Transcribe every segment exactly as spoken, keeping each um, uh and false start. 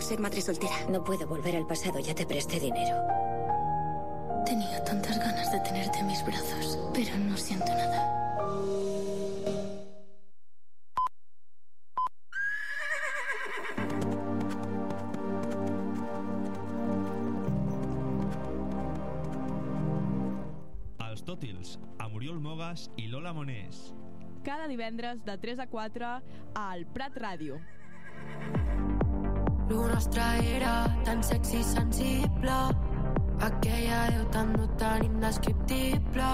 ser madre soltera. No puedo volver al pasado, ya te presté dinero. Tenía tantas ganas de tenerte en mis brazos, pero no siento nada. Els Tòtils, amb Oriol Mogas i Lola Monés. Cada divendres de tres a quatre al Prat Ràdio. Lo nostre era tan sexy i sensible, aquella veu tan no tan indescriptible.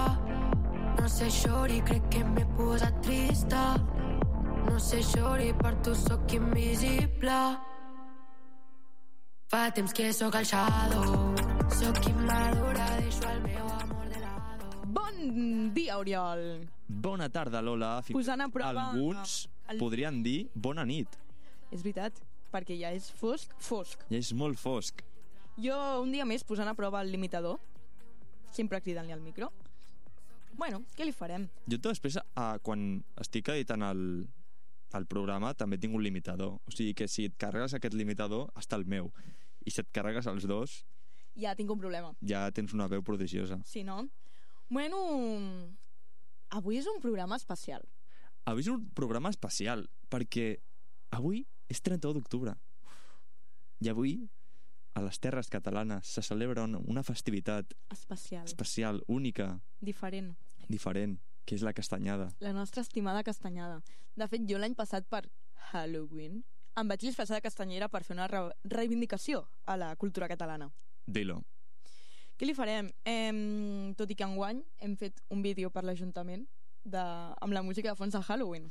No sé, xori, crec que m'he posat trista. No sé, xori, per tu sóc invisible. Fa temps que sóc el shadow, sóc immadura, deixo el meu amor de lado. Bon dia, Oriol. Bona tarda, Lola. Fins Posant a prova alguns el... podrien dir bona nit. És veritat, perquè ja és fosc, fosc. Ja és molt fosc. Jo, un dia més, posant a prova el limitador, sempre cridant-li al micro. Bueno, què li farem? Jo després, eh, quan estic editant el, el programa, també tinc un limitador. O sigui que si et carregues aquest limitador, està el meu. I si et carregues els dos... Ja tinc un problema. Ja tens una veu prodigiosa. Sí, no? Bueno, avui és un programa especial. Avui és un programa especial, perquè avui és trenta-u d'octubre. I avui, a les terres catalanes, se celebra una festivitat especial, especial, única, diferent, diferent, que és la castanyada. La nostra estimada castanyada. De fet, jo l'any passat per Halloween em vaig disfressar de castanyera per fer una re reivindicació a la cultura catalana. Dilo. Què li farem? Eh, tot i que enguany hem fet un vídeo per l'Ajuntament de, amb la música de fons de Halloween.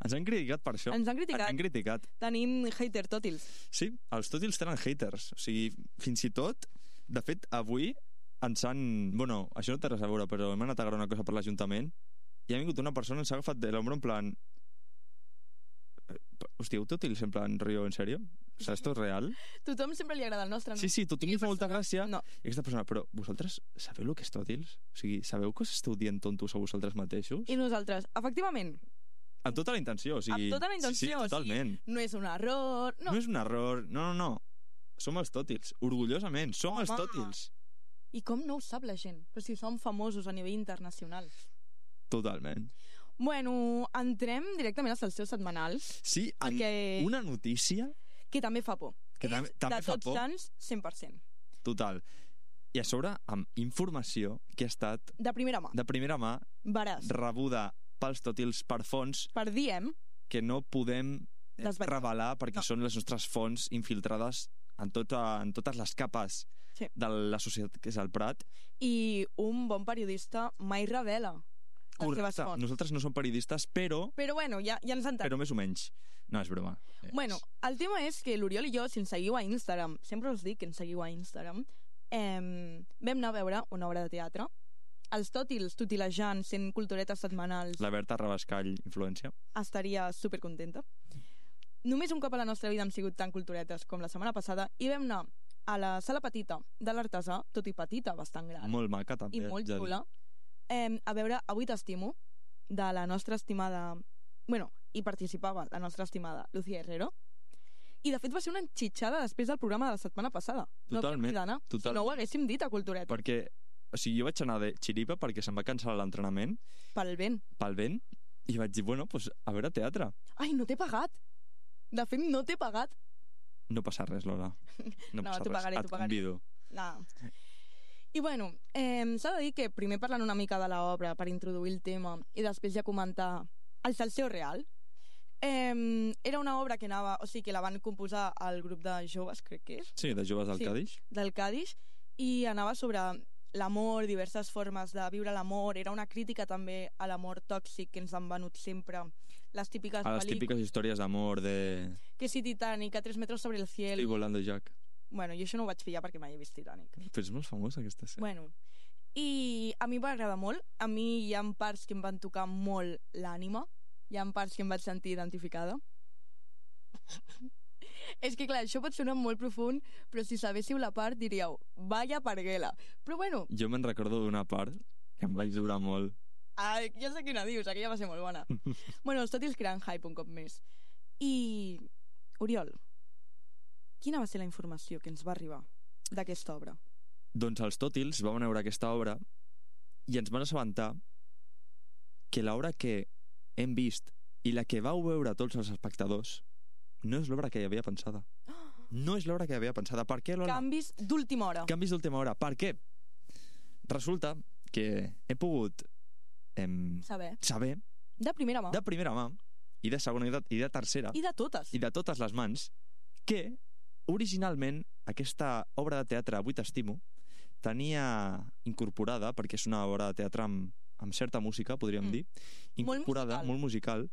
Ens han criticat per això. Ens han criticat. Ens han criticat. Tenim hater tòtils. Sí, els tòtils tenen haters. O sigui, fins i tot, de fet, avui ens han... Bueno, això no té res a veure, però hem anat a gravar una cosa per l'Ajuntament i ha vingut una persona, ens ha agafat de l'ombro en plan... Hòstia, tòtils en plan, rio, en sèrio? O sigui, esto és real? Tothom sempre li agrada el nostre, no? Sí, sí, tothom li fa molta gràcia. No. I aquesta persona, però vosaltres sabeu el que és tòtils? O sigui, sabeu que us esteu dient tontos a vosaltres mateixos? I nosaltres, efectivament. Amb tota la intenció, o sigui... Amb tota la intenció, sí, sí, totalment. O sigui, no és un error... No. no és un error, no, no, no. Som els tòtils, orgullosament, som Home. els tòtils. I com no ho sap la gent? Però si som famosos a nivell internacional. Totalment. Bueno, entrem directament als seus setmanals. Sí, amb perquè... una notícia... Que també fa por. Que és també, també de fa tots por. sants, cent per cent. Total. I a sobre, amb informació que ha estat... De primera mà. De primera mà. Veràs. Rebuda pels tòtils per fonts... Per diem... Que no podem Desvetllar. revelar perquè no. són les nostres fonts infiltrades en, tota, en totes les capes sí. de la societat que és el Prat. I un bon periodista mai revela Correcte. Nosaltres no som periodistes, però... Però bueno, ja, ja ens entenem. Però més o menys. No, és broma. Bueno, el tema és que l'Oriol i jo, si ens seguiu a Instagram, sempre us dic que ens seguiu a Instagram, eh, vam anar a veure una obra de teatre, els tòtils tutilejant, sent culturetes setmanals... La Berta Rabascall, influència. Estaria supercontenta. Només un cop a la nostra vida hem sigut tan culturetes com la setmana passada i vam anar a la sala petita de l'Artesà, tot i petita, bastant gran. Molt maca, també. I molt xula. Eh, a veure Avui t'estimo, de la nostra estimada... Bueno, hi participava la nostra estimada Lucía Herrero, i de fet va ser una enxitxada després del programa de la setmana passada. Totalment. No, total. Si no ho haguéssim dit a Cultureta. Perquè, o sigui, jo vaig anar de xiripa perquè se'm va cancel·lar l'entrenament. Pel vent. Pel vent. I vaig dir, bueno, pues, a veure teatre. Ai, no t'he pagat. De fet, no t'he pagat. No passa res, Lola. No, no passa t'ho pagaré, res. t'ho pagaré. Et convido. No. I bueno, eh, s'ha de dir que primer parlant una mica de l'obra per introduir el tema i després ja comentar el Salseo Real. Eh, era una obra que anava, o sigui, que la van composar al grup de joves, crec que és. Sí, de joves del sí, Cadix. Del Cadix, i anava sobre l'amor, diverses formes de viure l'amor. Era una crítica també a l'amor tòxic que ens han venut sempre les típiques a les típiques històries d'amor de... Que si Titanic, a tres metres sobre el cielo. Estoy volando, Jack. Bueno, jo això no ho vaig pillar perquè mai he vist Titanic. Però és molt famosa aquesta sèrie. Bueno, i a mi em va agradar molt. A mi hi ha parts que em van tocar molt l'ànima. Hi ha parts que em vaig sentir identificada. És que clar, això pot sonar molt profund, però si sabéssiu la part diríeu, vaya parguela. Però bueno... Jo me'n recordo d'una part que em vaig durar molt. Ah, ja sé quina dius, aquella va ser molt bona. Bueno, els tòtils creant hype un cop més. I... Oriol, quina va ser la informació que ens va arribar d'aquesta obra? Doncs els Tòtils vam veure aquesta obra i ens van assabentar que l'obra que hem vist i la que vau veure tots els espectadors no és l'obra que hi havia pensada. No és l'obra que hi havia pensada. Per què, Lola? Canvis d'última hora. Canvis d'última hora. Per què? Resulta que he pogut em, Saber. saber De primera mà. de primera mà i de segona i de, i de tercera I de totes. i de totes les mans que originalment aquesta obra de teatre Avui t'estimo tenia incorporada, perquè és una obra de teatre amb, amb certa música, podríem Mm. dir, incorporada, musical. molt musical,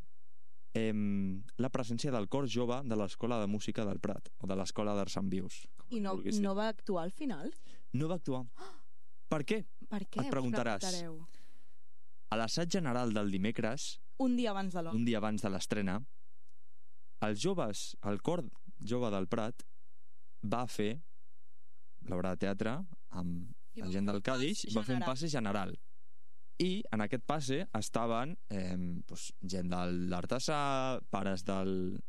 em, la presència del cor jove de l'Escola de Música del Prat, o de l'Escola d'Arts en Vius. com I no, vulguis dir. no va actuar al final? no va actuar. Per què? Per què? Et preguntaràs. Us preguntareu. A l'assaig general del dimecres, Un dia abans de l'obra. un dia abans de l'estrena, els joves, el cor jove del Prat va fer l'obra de teatre amb I la va gent fer del un pas Cadix, va fer un general. passe general. I en aquest passe estaven eh, doncs, gent de l'Artesà, pares del,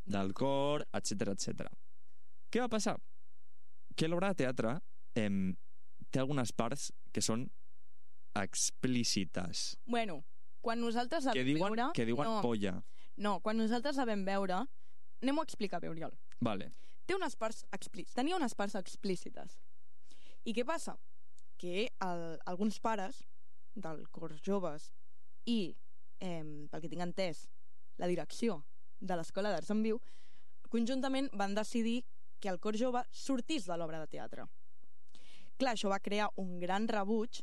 del cor, etcètera etcètera. Què va passar? Que l'obra de teatre eh, té algunes parts que són explícites. Bueno, quan nosaltres la Que vam diuen, veure... que diuen no, polla. no, quan nosaltres la vam veure... Anem-ho a explicar bé, Oriol. Vale. Té unes parts explícites. Tenia unes parts explícites. I què passa? Que el, alguns pares del cor joves i, eh, pel que tinc entès, la direcció de l'Escola d'Arts en Viu, conjuntament van decidir que el cor jove sortís de l'obra de teatre. Clar, això va crear un gran rebuig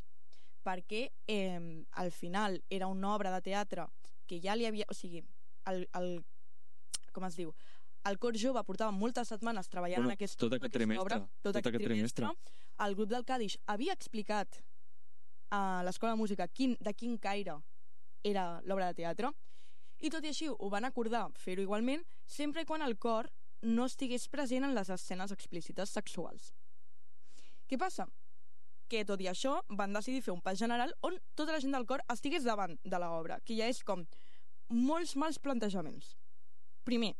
perquè eh, al final era una obra de teatre que ja li havia... O sigui, el, el, com es diu? El cor jove portava moltes setmanes treballant Bueno, en aquesta, tot aquest aquesta trimestre, obra. Tot, tot aquest aquest trimestre. El grup del Cadix havia explicat a l'Escola de Música quin, de quin caire era l'obra de teatre, i tot i així ho van acordar fer-ho igualment, sempre i quan el cor no estigués present en les escenes explícites sexuals. Què passa? Que tot i això van decidir fer un pas general on tota la gent del cor estigués davant de l'obra, que ja és com molts mals plantejaments. Primer,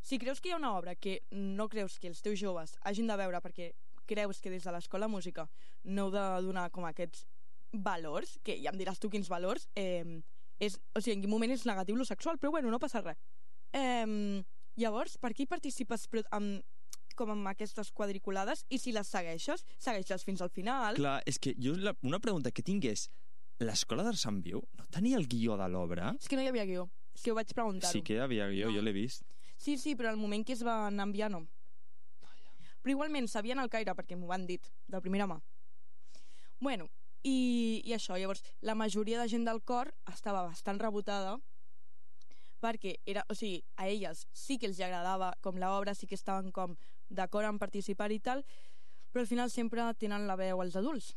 si creus que hi ha una obra que no creus que els teus joves hagin de veure perquè creus que des de l'Escola de Música no heu de donar com aquests valors, que ja em diràs tu quins valors, eh, és, o sigui, en quin moment és negatiu lo sexual, però bueno, no passa res. Eh, llavors, per què hi participes però, amb, com amb aquestes quadriculades, i si les segueixes, segueixes fins al final? Clar, és que jo la, una pregunta que tinc és, l'Escola d'Arts en Viu no tenia el guió de l'obra? És que no hi havia guió, és que ho vaig preguntar-ho. Sí que hi havia guió, No. jo l'he vist. Sí, sí, però al moment que es van enviar no. Però igualment sabien el caire perquè m'ho van dit, de primera mà. Bueno, i, i això, llavors, la majoria de gent del cor estava bastant rebotada perquè era, o sigui, a elles sí que els agradava com l'obra, sí que estaven com d'acord en participar i tal, però al final sempre tenen la veu als adults.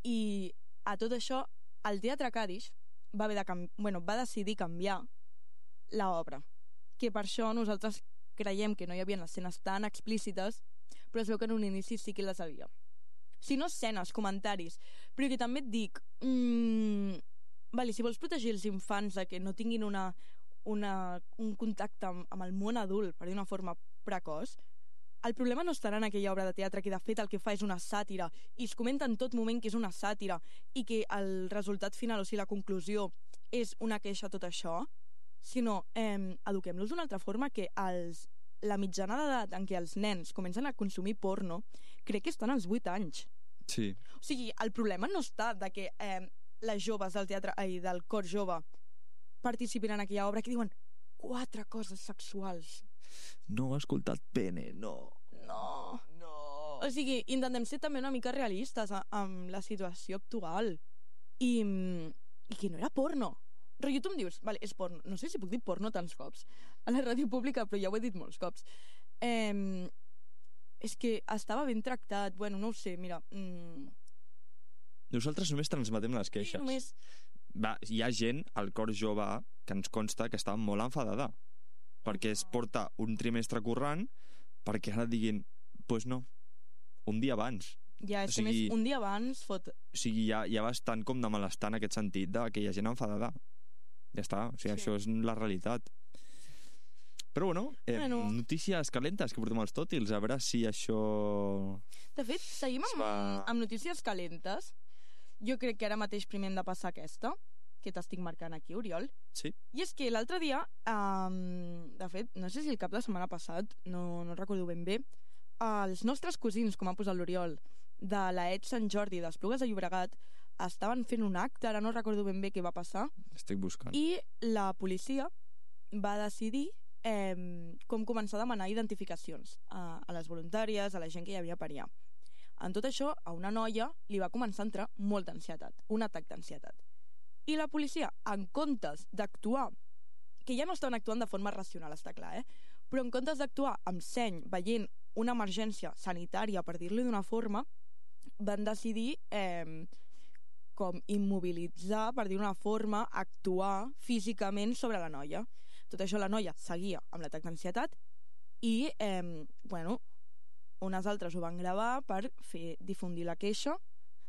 I a tot això, el Teatre Cadix va, haver de canvi... bueno, va decidir canviar l'obra, que per això nosaltres creiem que no hi havia escenes tan explícites, però es veu que en un inici sí que les havia. Si no escenes, comentaris, però que també et dic, mmm, vale, si vols protegir els infants de que no tinguin una, una, un contacte amb, amb el món adult, per dir una forma precoç, el problema no estarà en aquella obra de teatre que de fet el que fa és una sàtira i es comenta en tot moment que és una sàtira i que el resultat final, o sigui la conclusió, és una queixa a tot això, sinó eh, eduquem-los d'una altra forma, que els, la mitjana d'edat en què els nens comencen a consumir porno crec que estan als vuit anys. Sí. O sigui, el problema no està de que eh, les joves del teatre, ai, del cor jove participin en aquella obra que diuen quatre coses sexuals. No he escoltat pene, no. No. No. O sigui, intentem ser també una mica realistes a, amb la situació actual. I, i que no era porno. Rotllo, tu em dius, vale, és porno. No sé si puc dir porno tants cops a la ràdio pública, però ja ho he dit molts cops. Eh, és que estava ben tractat. Bueno, no ho sé, mira... Mm, Nosaltres només transmetem les queixes. només... Va, hi ha gent al cor jove que ens consta que estava molt enfadada perquè es porta un trimestre currant perquè ara diguin, pues no, un dia abans. Ja, és O que sigui- més un dia abans fot... O sigui, hi ha, hi ha bastant com de malestar en aquest sentit de que hi ha gent enfadada. Ja està, o sigui, Sí. això és la realitat. Però bueno, eh, Bueno. notícies calentes que portem als tòtils, a veure si això... De fet, seguim amb, Va. amb notícies calentes. Jo crec que ara mateix primer hem de passar aquesta, que t'estic marcant aquí, Oriol. Sí. I és que l'altre dia, um, de fet, no sé si el cap de setmana passat, no, no recordo ben bé, els nostres cosins, com ha posat l'Oriol, de la Et Sant Jordi d'Esplugues de Llobregat, estaven fent un acte, ara no recordo ben bé què va passar, Estic buscant. i la policia va decidir eh, com començar a demanar identificacions a, a les voluntàries, a la gent que hi havia per allà. En tot això, a una noia li va començar a entrar molta ansietat, un atac d'ansietat. I la policia, en comptes d'actuar, que ja no estaven actuant de forma racional, està clar, eh? Però en comptes d'actuar amb seny, veient una emergència sanitària, per dir-li d'una forma, van decidir eh, com immobilitzar, per dir d'una forma, actuar físicament sobre la noia. Tot això la noia seguia amb l'atac d'ansietat i, eh, bueno, unes altres ho van gravar per fer difundir la queixa,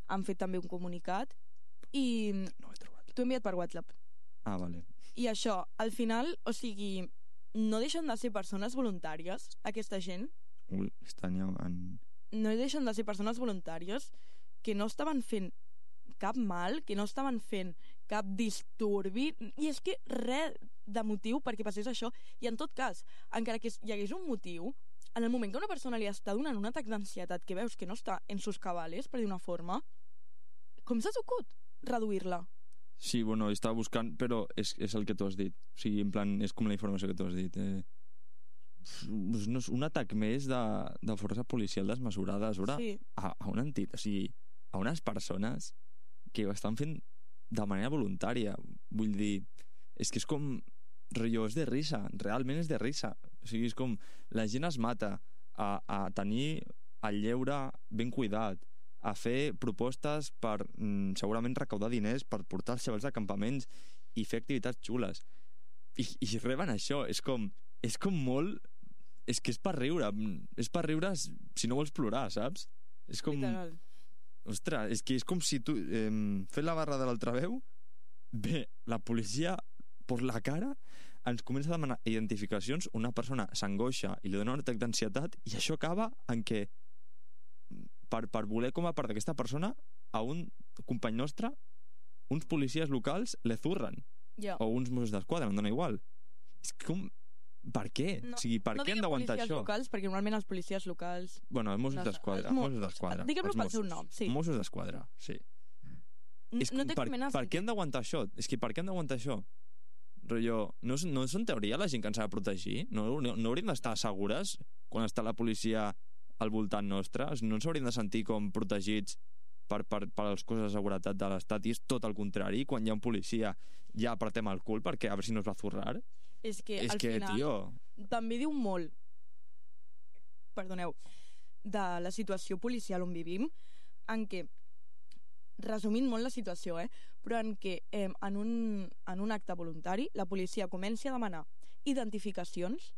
han fet també un comunicat i No ho he trobat. t'ho he enviat per WhatsApp. Ah, vale. I això, al final, o sigui, no deixen de ser persones voluntàries, aquesta gent, Ui, estan ja en... no deixen de ser persones voluntàries que no estaven fent cap mal, que no estaven fent cap disturbi, i és que res de motiu perquè passés això, i en tot cas, encara que hi hagués un motiu, en el moment que una persona li està donant un atac d'ansietat que veus que no està en sus cabales, per dir una forma, com s'ha ocut reduir-la? Sí, bueno, estava buscant, però és, és el que tu has dit. O sigui, en plan, és com la informació que tu has dit. Eh, no és un atac més de, de força policial desmesurada a, Sí. a, a una entitat, o sigui, a unes persones que ho estan fent de manera voluntària. Vull dir, és que és com... Rotllo, és de risa, realment és de risa. O sigui, és com la gent es mata a, a tenir el lleure ben cuidat, a fer propostes per mm, segurament recaudar diners per portar els xavals a campaments i fer activitats xules. I, i reben això. És com, és com molt... És que és per riure. És per riure si no vols plorar, saps? És com... Literal. Ostres, és que és com si tu... Eh, fent la barra de l'altaveu, ve la policia per la cara, ens comença a demanar identificacions, una persona s'angoixa i li dona un atac d'ansietat, i això acaba en què per, per voler com a part d'aquesta persona a un company nostre uns policies locals le zurren, Ja. o uns Mossos d'Esquadra, em dona igual. És com... Per què? No, o sigui, per no què hem diguem d'aguantar policies això? locals, perquè normalment els policies locals... Bueno, els Mossos No sé, d'Esquadra, els Mo- Mossos d'Esquadra. Diguem-lo els pel seu Mossos. nom, sí. Mossos d'Esquadra, sí. N- És no com, té per, cap mena de per què sentit. hem d'aguantar això? És que per què hem d'aguantar això? Rotllo, no, és- no és en teoria la gent que ens ha de protegir? No, no, no hauríem d'estar segures quan està la policia al voltant nostre? No ens hauríem de sentir com protegits per, per, per les coses de seguretat de l'Estat, i és tot el contrari. Quan hi ha un policia ja apretem el cul perquè a veure si no es va zurrar. És que, És al que, final, tio... també diu molt, perdoneu, de la situació policial on vivim, en què, resumint molt la situació, eh, però en què eh, en, un, en un acte voluntari la policia comenci a demanar identificacions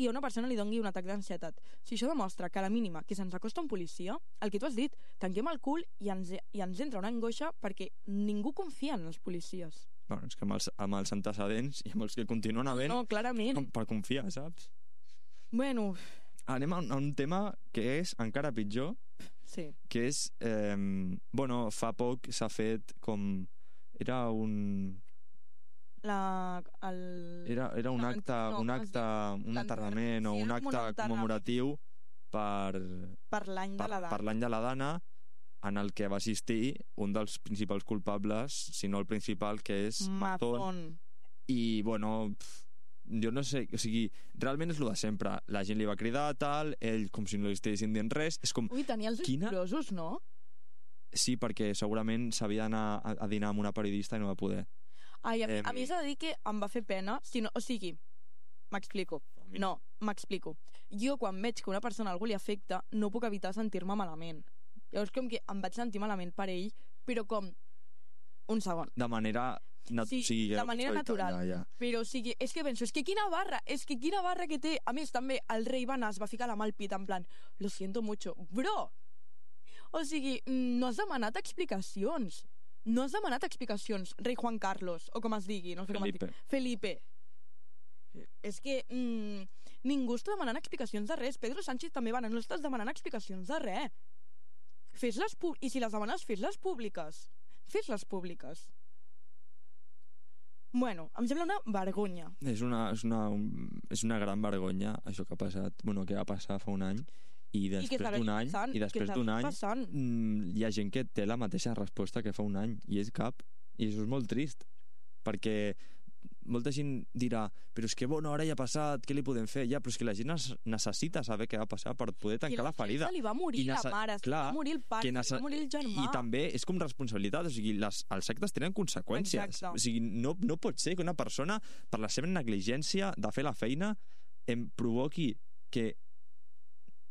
i a una persona li dongui un atac d'ansietat. Si això demostra que a la mínima que se'ns acosta un policia, el que tu has dit, tanquem el cul i ens, i ens entra una angoixa perquè ningú confia en els policies. Bueno, és que amb els, amb els antecedents i amb els que continuen havent, No, clarament. com per confiar, saps? Bueno, Anem a un, a un tema que és encara pitjor, sí. que és... Eh, bueno, fa poc s'ha fet com... Era un... La, el... Era, era un No, acte, no, un com es acte, un L'enter- enterrament o sí, un era com un acte enterrament. commemoratiu per, per l'any de per, la per data. l'any de la Dana, en el que va assistir un dels principals culpables, si no el principal, que és Mazón. Mazón. I, bueno, pf, jo no sé, o sigui, realment és el de sempre. La gent li va cridar, tal, ell com si no li estiguessin dient res. És com, Ui, tenia els ulls Quina- grosos, no? sí, perquè segurament s'havia d'anar a, a dinar amb una periodista i no va poder. Ai, a, mi- Em- a mi s'ha de dir que em va fer pena, si no, o sigui, m'explico. No, m'explico. Jo, quan veig que una persona algú li afecta, no puc evitar sentir-me malament. Llavors, com que em vaig sentir malament per ell, però com... Un segon. De manera... Nat Sí, o sigui, de manera natural. Ja, ja. Però, o sigui, és que penso, és que quina barra, és que quina barra que té. A més, també, el rei va anar, es va ficar la mà al pit, en plan, lo siento mucho. Bro! O sigui, mm, no has demanat explicacions. No has demanat explicacions, rei Juan Carlos, o com es digui, no sé com es Felipe. digui. Felipe. És que mm, ningú està demanant explicacions de res. Pedro Sánchez també va, no estàs demanant explicacions de res. Fes-les públiques. I si les demanes, fes-les públiques. Fes-les públiques. Bueno, em sembla una vergonya. És una, és una, és una gran vergonya, això que ha passat, bueno, que va passar fa un any, i després d'un any, passant, i després d'un any passant. mm, hi ha gent que té la mateixa resposta que fa un any, i és cap. I això és molt trist, perquè molta gent dirà, però és que bona hora ja ha passat, què li podem fer? Ja, però és que la gent necessita saber què va passar per poder tancar la, la ferida. Se li va morir la mare, se li va morir el pare, se li va morir el germà. I també és com responsabilitat, o sigui, les, els actes tenen conseqüències. Exacte. O sigui, no, no pot ser que una persona, per la seva negligència de fer la feina, em provoqui que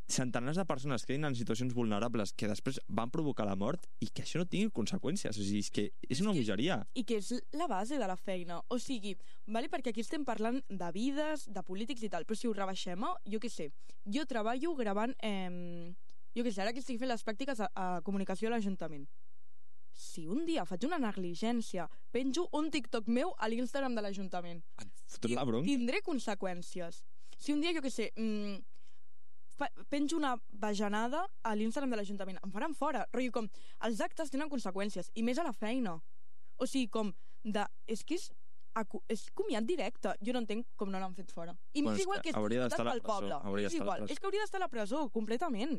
centenars de persones quedin en situacions vulnerables que després van provocar la mort i que això no tingui conseqüències. O sigui, és que és una bogeria. I que és la base de la feina. O sigui, vale, perquè aquí estem parlant de vides, de polítics i tal, però si ho rebaixem, jo què sé, jo treballo gravant, eh, jo què sé, ara que estic fent les pràctiques a, a comunicació a l'Ajuntament. Si un dia faig una negligència, penjo un TikTok meu a l'Instagram de l'Ajuntament. Fotre la bronca. Tindré conseqüències. Si un dia, jo què sé, mmm, penjo una bajanada a l'Instagram de l'Ajuntament, em faran fora, rotllo com els actes tenen conseqüències, i més a la feina, o sigui com de, és que és, és comiat directe, jo no entenc com no l'han fet fora, i bueno, és igual que és pel poble, és igual, és que hauria d'estar a la presó completament.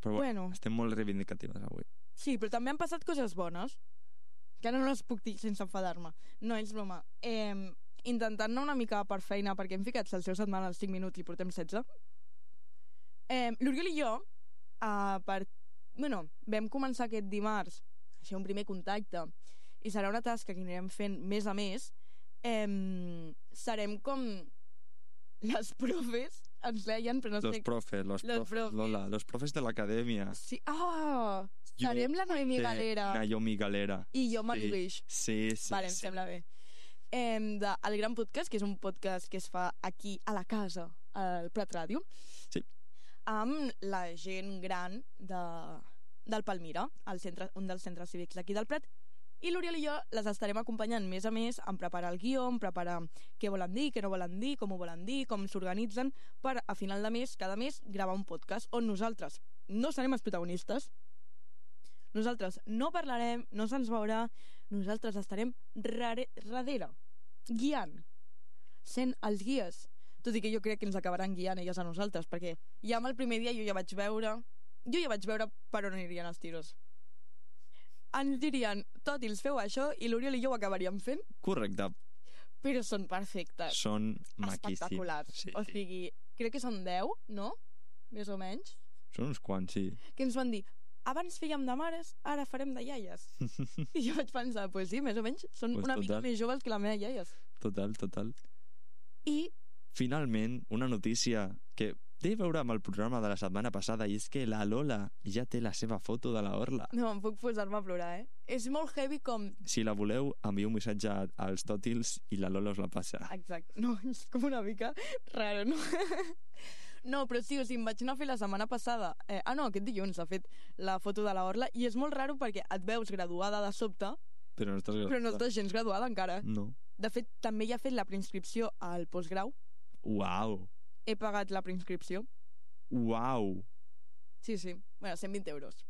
Però bueno, estem molt reivindicatives avui. Sí, però també han passat coses bones que ara no les puc dir sense enfadar-me, no és broma. eh, intentant anar una mica per feina, perquè hem ficat el seu setmana als cinc minuts i portem setze. Eh, L'Oriol i jo, eh, per, bueno, vam començar aquest dimarts a fer un primer contacte i serà una tasca que anirem fent mes a mes. Eh, serem com les profes, ens deien, però no los sé... Profes, los, los profes, profes, Lola, los profes de l'acadèmia. Sí, ah, serem la Noemi Galera. Naomi Galera. I jo Mariluix. Sí, sí, vale, sí. em sembla bé. Eh, de El Gran Podcast, que és un podcast que es fa aquí a la casa, al Prat Ràdio. Sí. Amb la gent gran de, del Palmira, el centre, un dels centres cívics d'aquí del Prat, i l'Oriol i jo les estarem acompanyant mes a mes en preparar el guió, en preparar què volen dir, què no volen dir, com ho volen dir, com s'organitzen, per a final de mes, cada mes, gravar un podcast on nosaltres no serem els protagonistes, nosaltres no parlarem, no se'ns veurà, nosaltres estarem rare, darrere, guiant, sent els guies. Tot i que jo crec que ens acabaran guiant elles a nosaltres, perquè ja amb el primer dia jo ja vaig veure jo ja vaig veure per on anirien els tiros. Ens dirien, tòtils, feu això, i l'Oriol i jo ho acabaríem fent. Correcte. Però són perfectes. Són maquíssims. Espectaculars. Sí, o sigui, crec que són deu, no? Més o menys. Són uns quants, sí. Que ens van dir, abans fèiem de mares, ara farem de iaies. I jo vaig pensar, pues sí, més o menys, són pues una total. mica més joves que la meva iaies. Total, total. I... Finalment, una notícia que té a veure amb el programa de la setmana passada, i és que la Lola ja té la seva foto de la Orla. No, em puc posar-me a plorar, eh? És molt heavy com... Si la voleu, envieu un missatge als tòtils i la Lola us la passa. Exacte. No, és com una mica raro, no? No, però sí, o sigui, em vaig anar a fer la setmana passada. Eh, ah, no, aquest dilluns ha fet la foto de la Orla, i és molt raro perquè et veus graduada de sobte, però no estàs graduada. Però no estàs gens graduada encara. No. De fet, també ja he fet la preinscripció al postgrau. Uau. He pagat la preinscripció. Uau. Sí, sí. Bueno, cent vint euros.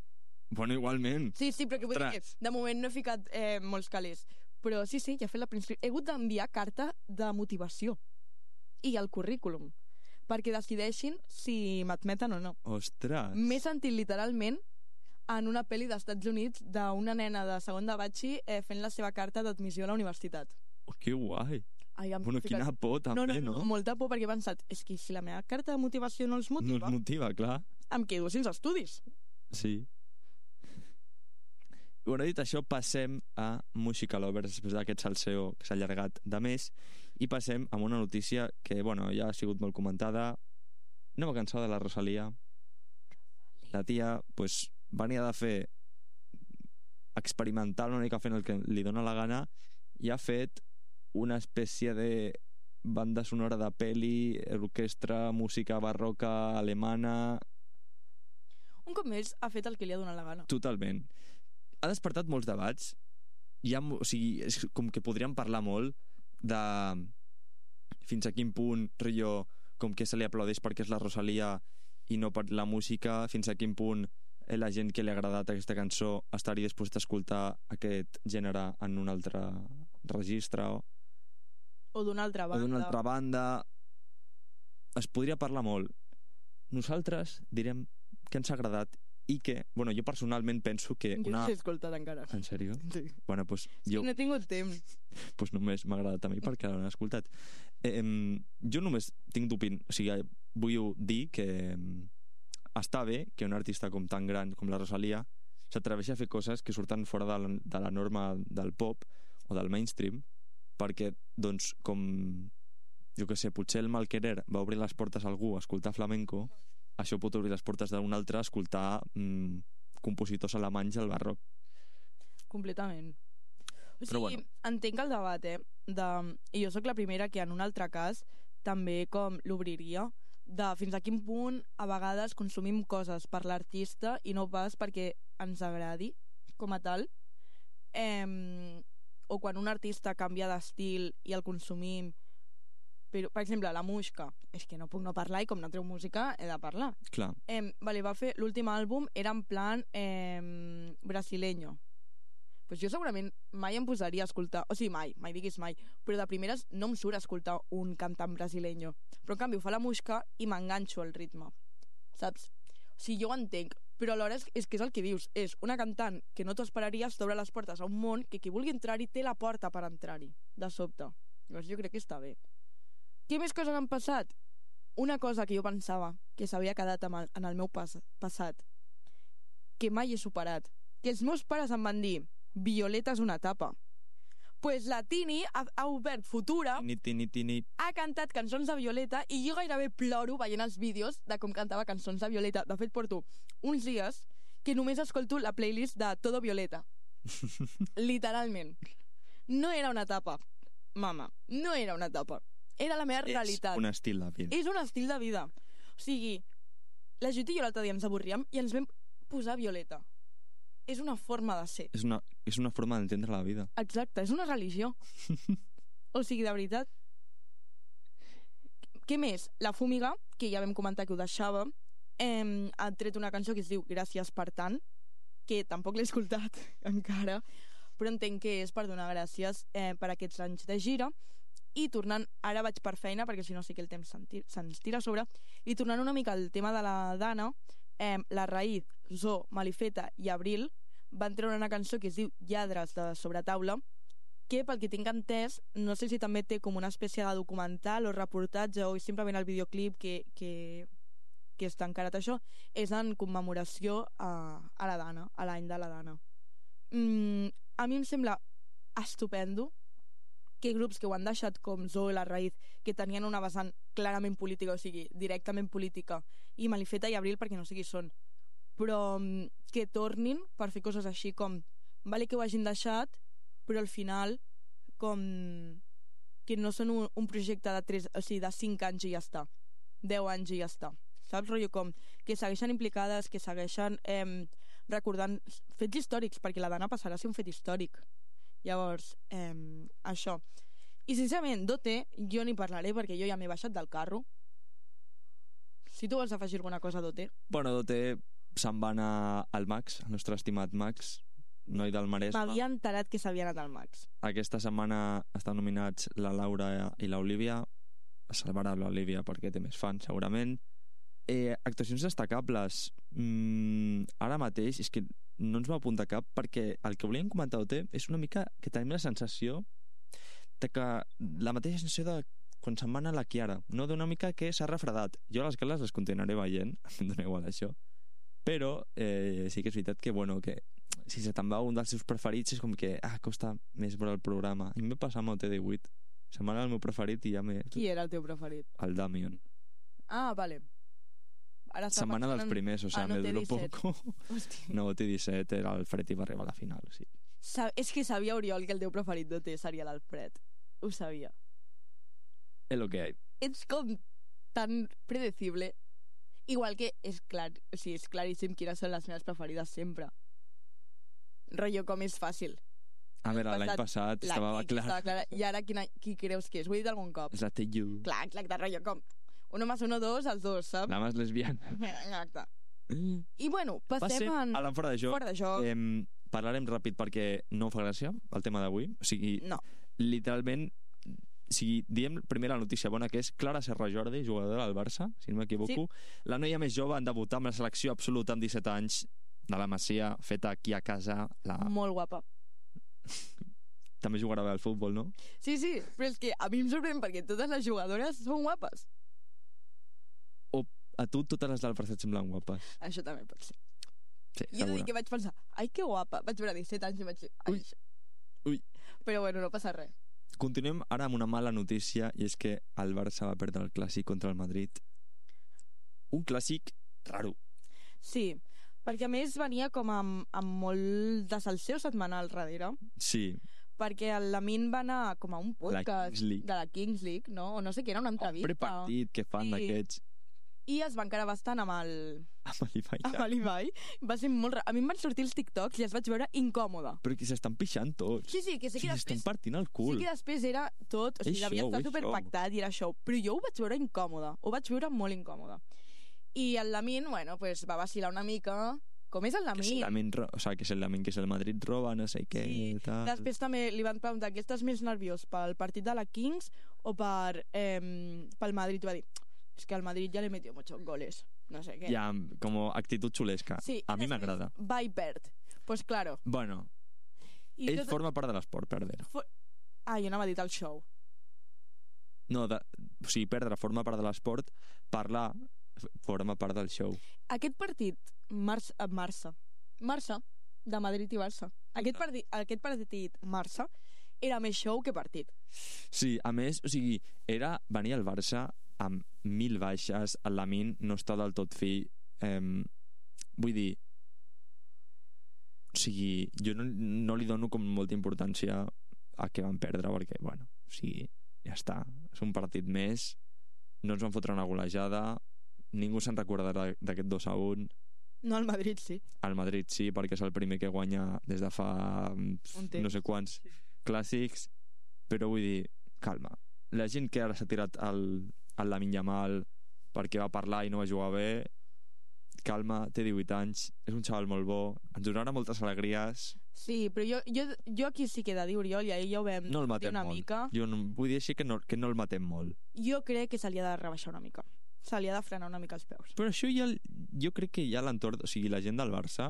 Bueno, igualment. Sí, sí, però que vull dir que de moment no he ficat eh, molts calés. Però sí, sí, ja he fet la preinscripció. He hagut d'enviar carta de motivació i el currículum perquè decideixin si m'admeten o no. Ostres. M'he sentit literalment en una pel·li d'Estats Units d'una nena de segon de batxi eh, fent la seva carta d'admissió a la universitat. Oh, que guai. Ai, bueno, ficat... quina por també, no, no? No, no, molta por, perquè he pensat, és que si la meva carta de motivació no els motiva... No els motiva, clar. Em quedo sense estudis. Sí. Bueno, dit això, passem a Música Lovers, després d'aquest salseo que s'ha allargat de més, i passem a una notícia que, bueno, ja ha sigut molt comentada. Nova cançó de la Rosalia. La tia, pues, venia de fer experimental una mica fent el que li dóna la gana, i ha fet una espècie de banda sonora de peli, orquestra, música barroca alemana... Un cop més ha fet el que li ha donat la gana. Totalment. Ha despertat molts debats. Hi ha, o sigui, és com que podríem parlar molt de fins a quin punt, rotllo, com que se li aplaudeix perquè és la Rosalia i no per la música, fins a quin punt eh, la gent que li ha agradat aquesta cançó estaria disposat a escoltar aquest gènere en un altre registre o, O d'una altra o banda. d'una altra banda. Es podria parlar molt. Nosaltres direm que ens ha agradat i que, bueno, jo personalment penso que Jo una... no l'he escoltat encara. En sèrio? Sí. Bueno, doncs Jo... jo No he tingut temps. pues només m'ha agradat a mi perquè l'han escoltat. Eh, em, jo només tinc d'opin... O sigui, vull dir que em, està bé que un artista com tan gran com la Rosalia s'atreveixi a fer coses que surten fora de la, de la norma del pop o del mainstream, perquè, doncs, com jo que sé, potser el Malquerer va obrir les portes a algú a escoltar flamenco, això pot obrir les portes d'un altre a escoltar mm, compositors alemanys al barroc. Completament. O sigui, Però bueno. entenc el debat, eh? De... I jo sóc la primera que en un altre cas també com l'obriria, de fins a quin punt a vegades consumim coses per l'artista i no pas perquè ens agradi com a tal. Eh, o quan un artista canvia d'estil i el consumim, però, per exemple, la Muixca, és que no puc no parlar i com no treu música he de parlar. Clar. Eh, vale, va fer l'últim àlbum, era en plan eh, brasileño. Pues jo segurament mai em posaria a escoltar, o sigui, mai, mai diguis mai, però de primeres no em surt a escoltar un cantant brasileño. Però en canvi ho fa la Muixca i m'enganxo al ritme, saps? O sigui, jo ho entenc, però alhora és, és que és el que dius, és una cantant que no t'ho esperaries, t'obre les portes a un món que qui vulgui entrar-hi té la porta per entrar-hi, de sobte. Llavors jo crec que està bé. Què més coses han passat? Una cosa que jo pensava que s'havia quedat amb el, en el meu pas, passat, que mai he superat, que els meus pares em van dir Violeta és una etapa. Pues la Tini ha, ha obert Futura, Tini, tini, tini. ha cantat cançons de Violeta i jo gairebé ploro veient els vídeos de com cantava cançons de Violeta. De fet, porto uns dies que només escolto la playlist de Todo Violeta. Literalment. No era una etapa, mama. No era una etapa. Era la meva realitat. És un estil de vida. És un estil de vida. O sigui, la Judit i jo l'altre dia ens avorríem i ens vam posar Violeta. És una forma de ser. És una, és una forma d'entendre la vida. Exacte, és una religió. O sigui, de veritat. Què més? La Fúmiga, que ja vam comentar que ho deixava, eh, ha tret una cançó que es diu Gràcies per tant, que tampoc l'he escoltat encara, però entenc que és per donar gràcies eh, per aquests anys de gira. I tornant, ara vaig per feina perquè si no sí que el temps se'ns tira a sobre, i tornant una mica al tema de la Dana, eh, la Raïd, Zo, Malifeta i Abril van treure una cançó que es diu Lladres de Sobretaula, que pel que tinc entès no sé si també té com una espècie de documental o reportatge o simplement el videoclip que, que, que està encarat això, és en commemoració a, a la Dana, a l'any de la Dana. mm, a mi em sembla estupendo que grups que ho han deixat com Zo i la Raïd, que tenien una vessant clarament política, o sigui, directament política, i Malifeta i Abril perquè no sé qui són, però que tornin per fer coses així com vale que ho hagin deixat, però al final com que no són un, un projecte de, tres, o sigui, de cinc anys i ja està, deu anys i ja està, saps? Rotllo com que segueixen implicades, que segueixen eh, recordant fets històrics, perquè la Dana passarà a ser un fet històric. Llavors, eh, això. I sincerament, d'O T jo ni parlaré perquè jo ja m'he baixat del carro. Si tu vols afegir alguna cosa d'O T. Bueno, d'O T se'n va anar al Max, el nostre estimat Max, noi del Maresme. M'havia enterat que s'havia anat al Max. Aquesta setmana estan nominats la Laura i l'Olivia. Es salvarà l'Olivia perquè té més fans, segurament. Eh, actuacions destacables. Mm, ara mateix és que no ens va apuntar cap perquè el que volíem comentar d'O T és una mica que tenim la sensació de que la mateixa sensació de quan se'n va anar la Chiara, no? D'una mica que s'ha refredat. Jo les gales les continuaré veient, em dona igual això, però eh, sí que és veritat que, bueno, que si se te'n va un dels seus preferits és com que, ah, costa més veure el programa. I em va passar amb O T divuit. Se'n va anar el meu preferit i ja m'he... Qui era el teu preferit? El Damion. Ah, vale. Ara Se'n va anar dels primers, o sigui, me duró poco. Hòstia. No, O T disset era el Fred i va arribar a la final, sí. Sa és que sabia, Oriol, que el teu preferit d'O T seria l'Alfred. Ho sabia. És lo que hay. Ets com tan predecible. Igual que és clar, o sigui, és claríssim quines són les meves preferides sempre. Rollo com és fàcil. A veure, l'any passat la estava Kiki clar. estava clara. I ara quina, qui creus que és? Ho he dit algun cop. És la T U. Clar, exacte, rotllo, com uno más uno, dos, els dos, saps? La más lesbiana. Exacte. I bueno, passem Passem en... a la fora de joc. Fora de joc. Eh, parlarem ràpid perquè no fa gràcia el tema d'avui. O sigui, No. literalment, o sigui, diem primer la notícia bona, que és Clara Serra Jordi, jugadora del Barça, si no m'equivoco. Sí. La noia més jove en debutar amb la selecció absoluta amb disset anys de la Masia, feta aquí a casa. La... Molt guapa. També jugarà bé al futbol, no? Sí, sí, però és que a mi em sorprèn perquè totes les jugadores són guapes. O a tu totes les del Barça et semblen guapes? Això també pot ser. Sí, Jo he de dir segura. que vaig pensar, ai, que guapa. Vaig veure disset anys i vaig dir, ai, Ui. això. Ui. Però bueno, no passa res. Continuem ara amb una mala notícia, i és que el Barça va perdre el clàssic contra el Madrid. Un clàssic raro. Sí, perquè a més venia com amb, amb molt de salseu setmanal darrere, Sí, perquè el Lamin va anar com a un podcast Kings League. de la Kings League, no? O no sé què, era una un entrevista. prepartit que fan Sí. d'aquests I es va encarar bastant amb el, amb l'Ibai. amb l'Ibai. Va ser molt... ra- A mi em van sortir els TikToks i els vaig veure incòmoda. Però que s'estan pixant tots. Sí, sí, que sé Sí, que s'estan després... partint el Sí cul. que després era tot, o sigui, És devia show, estar és superpactat i era show, però jo ho vaig veure incòmoda, ho vaig veure molt incòmoda. I el Lamin, bueno, pues va vacilar una mica, com és el Que és el Lamin. Lamin, ro- o sea, que és el Lamin, que és el Madrid roba, no sé què, Sí, tal. Després també li van preguntar que estàs més nerviós pel partit de la Kings o per, eh, pel Madrid. I va dir, és que al Madrid ja le metió muchos goles, no sé què. Ja, com actitud xulesca. Sí, A i mi després m'agrada. Va i perd. Pues claro. Bueno, I ell tot- forma part de l'esport, perdre. For... Ah, jo anava a dir el show. No, de, o sigui, perdre forma part de l'esport, parlar f- forma part del show. Aquest partit, Març, eh, Marça, Marça, de Madrid i Barça. Aquest partit, aquest partit, Marça, era més show que partit. Sí, a més, o sigui, era venir al Barça amb mil baixes, el Lamin no està del tot fi. Eh, vull dir, o sigui, jo no, no li dono com molta importància a que van perdre, perquè, bueno, o sigui, ja està. És un partit més, no ens van fotre una golejada, ningú se'n recordarà d'aquest dos a un. No, al Madrid sí. Al Madrid sí, perquè és el primer que guanya des de fa pf, Un temps. no sé quants clàssics, però vull dir, calma. La gent que ara s'ha tirat el, el Lamine Yamal perquè va parlar i no va jugar bé, calma, té divuit anys, és un xaval molt bo, ens donarà moltes alegries. Sí, però jo, jo, jo aquí sí que he de dir, Oriol, i ahir ja ho vam No el dir matem una molt. mica. Jo no, vull dir així que no, que no el matem molt. Jo crec que se li ha de rebaixar una mica. Se li ha de frenar una mica els peus. Però això ja, jo crec que ja l'entorn, o sigui, la gent del Barça,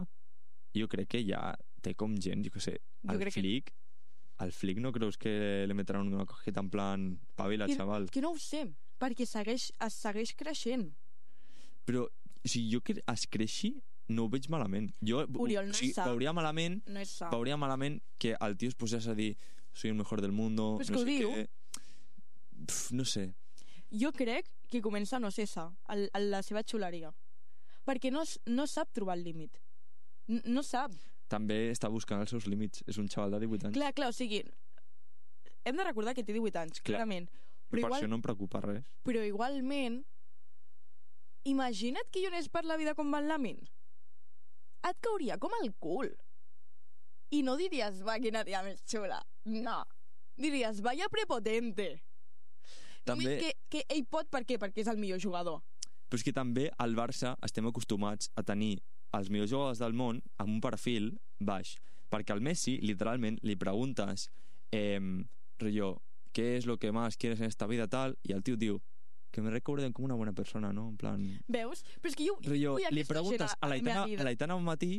jo crec que ja té com gent, jo què sé, Jo el crec que- Flick, el Flick no creus que li metran una cojeta en plan pavila, Que- xaval? Que no ho sé, perquè segueix, es segueix creixent. Però si jo que es creixi, no ho veig malament. Jo Oriol, no o sigui, és sa. veuria malament, No és sa. veuria malament que el tio es posés a dir soy el mejor del mundo, Pues no que ho sé diu. què. Pf, no sé. Jo crec que comença a no ser sa, el, el, la seva xuleria. Perquè no, s- no sap trobar el límit. N no sap. També està buscant els seus límits. És un xaval de divuit anys. Clar, clar, o sigui, hem de recordar que té divuit anys, Clar. clarament. Però Però, per igual, això no em preocupa res. però igualment, imagina't que jo anés per la vida com Van Lamin. Et cauria com el cul. I no diries, va, quina tia més xula. No. Diries, vaya prepotente. També, Vull que, que ell pot, per què? Perquè és el millor jugador. però és que també al Barça estem acostumats a tenir els millors jugadors del món amb un perfil baix. Perquè al Messi, literalment, li preguntes eh, rollo, ¿qué es lo que más quieres en esta vida tal? I el tio diu, que me recuerden com una buena persona, no? En plan... Veus? Però és que jo, Rollo, vull li aquesta preguntes gent a la meva l'Aitana vida. a l'Aitana un matí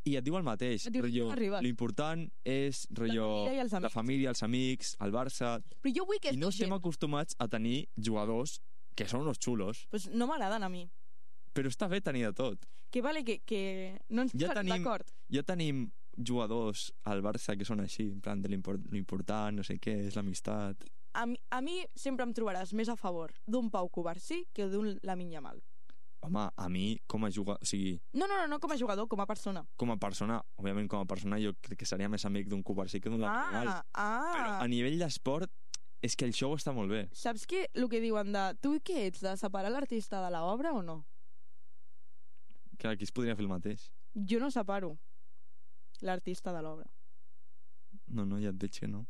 i et diu el mateix. Et diu, Rollo, "No arribes." l'important és rollo, família i els la amics. família, els amics, el Barça... Però jo vull que I no estem gent... acostumats a tenir jugadors que són unos xulos, Pues no m'agraden a mi. però està bé tenir de tot. Que vale, que, que no ens Ja posarem tenim- d'acord. Ja tenim jugadors al Barça que són així, en plan de l'import, l'important, no sé què, és l'amistat. A mi, a mi sempre em trobaràs més a favor d'un Pau Covarsí que d'un Lamine Yamal. Home, a mi, com a jugador, o sigui, No, no, no, no com a jugador, com a persona. com a persona, òbviament com a persona jo crec que seria més amic d'un Covarsí que d'un Lateral. Ah, ah. Però a nivell d'esport, és que el show està molt bé. Saps que el que diuen de... Tu què ets, de separar l'artista de l'obra o no? Que aquí es podria fer el mateix. Jo no separo l'artista de l'obra. No, no, ja et veig que no.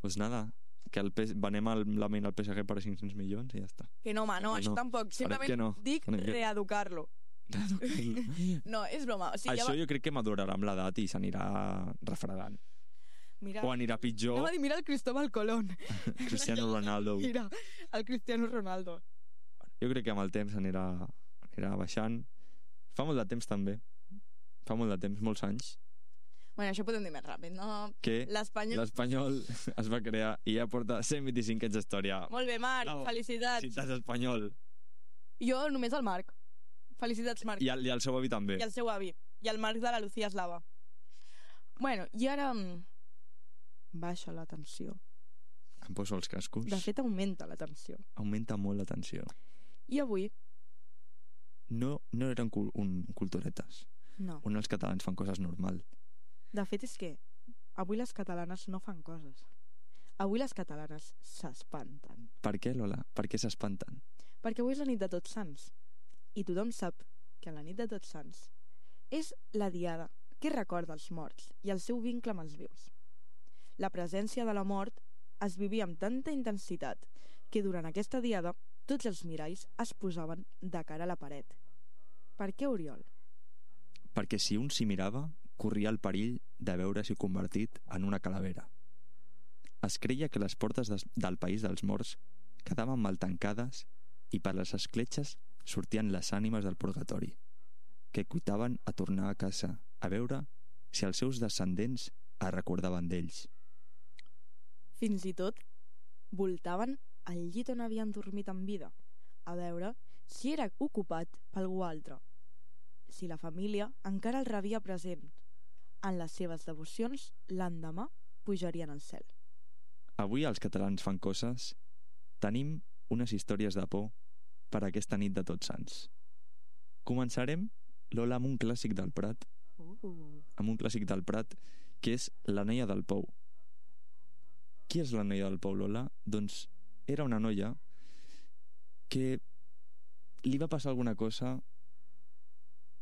Pues nada, que el P... venem el, la ment al P S G per cinc-cents milions i ja està. Que no, home, no, No, això no. tampoc. Simplement no? dic Farem que- reeducar-lo. No, és broma. O sigui, Això ja va... jo crec que madurarà amb l'edat i s'anirà refredant. Mira, O anirà pitjor. anava a dir, mira el Cristóbal Colón. Cristiano Ronaldo. Mira, el Cristiano Ronaldo. Jo crec que amb el temps anirà, anirà baixant. Fa molt de temps també. Fa molt de temps, molts anys, Bueno, això podem dir més ràpid, no? que L'Espanyol... l'Espanyol es va crear i ja porta cent vint-i-cinc anys d'història. Molt bé, Marc, Bravo. felicitats. Ciutat Espanyol. Jo només el Marc. Felicitats, Marc. I el, i el seu avi també. I el seu avi. I el Marc de la Lucía Eslava. Bueno, i ara... mm, baixa la tensió. Em poso els cascos. De fet, augmenta la tensió. Augmenta molt la tensió. I avui... No, no eren cul un culturetes. No. On els catalans fan coses normal. De fet, és que avui les catalanes no fan coses. Avui les catalanes s'espanten. Per què, Lola? Per què s'espanten? Perquè avui és la nit de Tots Sants. I tothom sap que la nit de Tots Sants és la diada que recorda els morts i el seu vincle amb els vius. La presència de la mort es vivia amb tanta intensitat que durant aquesta diada tots els miralls es posaven de cara a la paret. Per què, Oriol? Perquè si un s'hi mirava, corria el perill de veure-s'hi convertit en una calavera. Es creia que les portes des, del país dels morts quedaven mal tancades i per les escletxes sortien les ànimes del purgatori, que cuitaven a tornar a casa a veure si els seus descendents es recordaven d'ells. Fins i tot voltaven al llit on havien dormit en vida, a veure si era ocupat per algú altre, si la família encara el rebia present. En les seves devocions, l'endemà pujarien al cel. Avui els catalans fan coses. Tenim unes històries de por per aquesta nit de Tots Sants. Començarem, Lola, amb un clàssic del Prat, Uh. amb un clàssic del Prat, que és La noia del Pou. Qui és la noia del Pou, Lola? Doncs era una noia que li va passar alguna cosa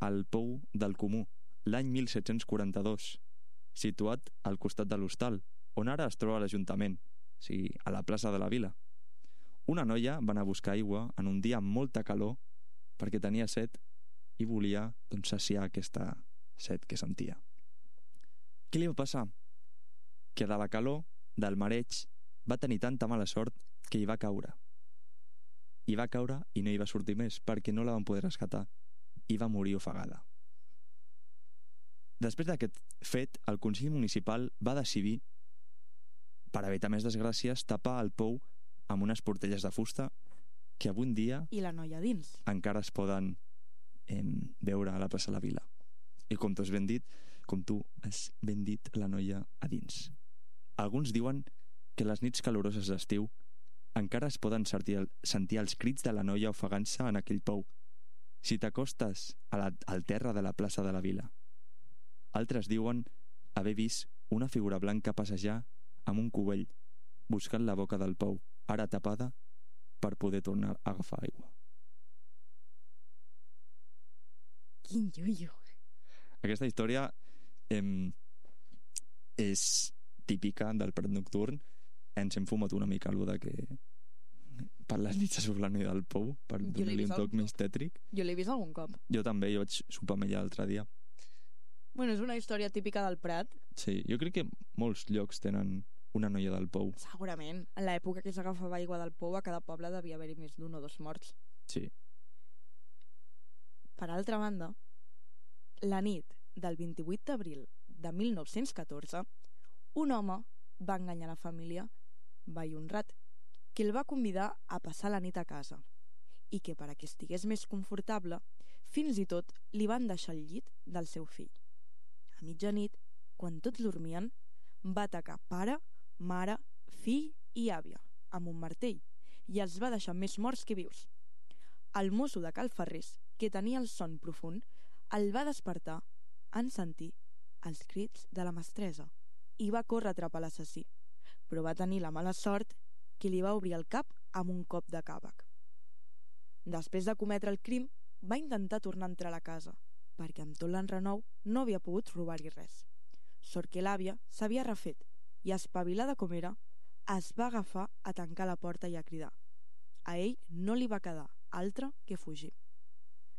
al Pou del Comú l'any mil set-cents quaranta-dos, situat al costat de l'hostal, on ara es troba l'Ajuntament, o sigui, a la plaça de la Vila. Una noia va anar a buscar aigua en un dia amb molta calor perquè tenia set i volia, doncs, saciar aquesta set que sentia. Què li va passar? Que de la calor, del mareig, va tenir tanta mala sort que hi va caure. Hi va caure i no hi va sortir més perquè no la van poder rescatar i va morir ofegada. Després d'aquest fet, el Consell Municipal va decidir, per evitar més desgràcies, tapar el pou amb unes portelles de fusta que avui en dia I la noia dins. encara es poden eh, veure a la plaça de la Vila. I com tu has ben dit, com tu has ben dit, la noia a dins. Alguns diuen que les nits caloroses d'estiu encara es poden sentir, sentir els crits de la noia ofegant-se en aquell pou si t'acostes a la, al terra de la plaça de la Vila. Altres diuen haver vist una figura blanca passejar amb un cubell buscant la boca del pou, ara tapada, per poder tornar a agafar aigua. Quin llullo. Aquesta història eh, és típica del Prat Nocturn. Ens hem fumat una mica allò de que per les nits sobre la noia del pou, per Jo l'he donar-li vist un toc algun més tètric. Jo l'he vist algun cop. Jo també, jo vaig sopar amb ella l'altre dia. Bueno, és una història típica del Prat. Sí, jo crec que molts llocs tenen una noia del pou. Segurament. En l'època que s'agafava aigua del pou, a cada poble devia haver-hi més d'un o dos morts. Sí. Per altra banda, la nit del vint-i-vuit d'abril de mil nou-cents catorze, un home va enganyar la família Vall Honrat, que el va convidar a passar la nit a casa i que per a que estigués més confortable, fins i tot li van deixar el llit del seu fill. A mitjanit, quan tots dormien, va atacar pare, mare, fill i àvia amb un martell i els va deixar més morts que vius. El mosso de Cal Ferrés, que tenia el son profund, el va despertar en sentir els crits de la mestressa i va córrer a atrapar l'assassí, però va tenir la mala sort que li va obrir el cap amb un cop de càvec. Després de cometre el crim, va intentar tornar a entrar a la casa, perquè amb tot l'enrenou no havia pogut robar-hi res. sort que l'àvia s'havia refet i, espavilada com era, es va agafar a tancar la porta i a cridar. A ell no li va quedar altre que fugir.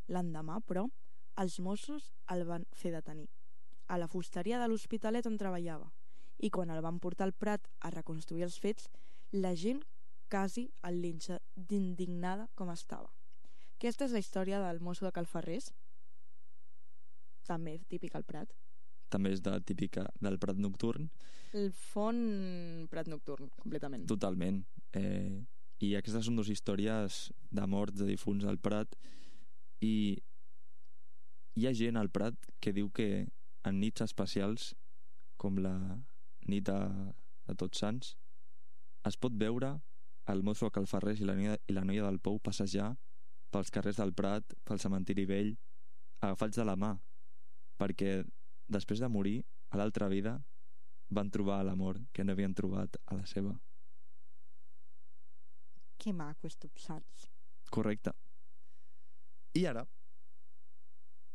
L'endemà, però, els Mossos el van fer detenir a la fusteria de l'Hospitalet on treballava, i quan el van portar al Prat a reconstruir els fets, la gent quasi el linxa d'indignada com estava. Aquesta és la història del mosso de Calfarrés, també típic al Prat. També és de típica del Prat nocturn. El font Prat nocturn, completament. Totalment. Eh, I aquestes són dues històries de morts, de difunts al Prat, i hi ha gent al Prat que diu que en nits especials, com la nit de, de Tots Sants, es pot veure el mosso a Calfarrés i la noia, i la noia del Pou passejar pels carrers del Prat, pel cementiri vell, agafats de la mà, perquè després de morir, a l'altra vida, van trobar l'amor que no havien trobat a la seva. Que maco, Tots Sants. Correcte. I ara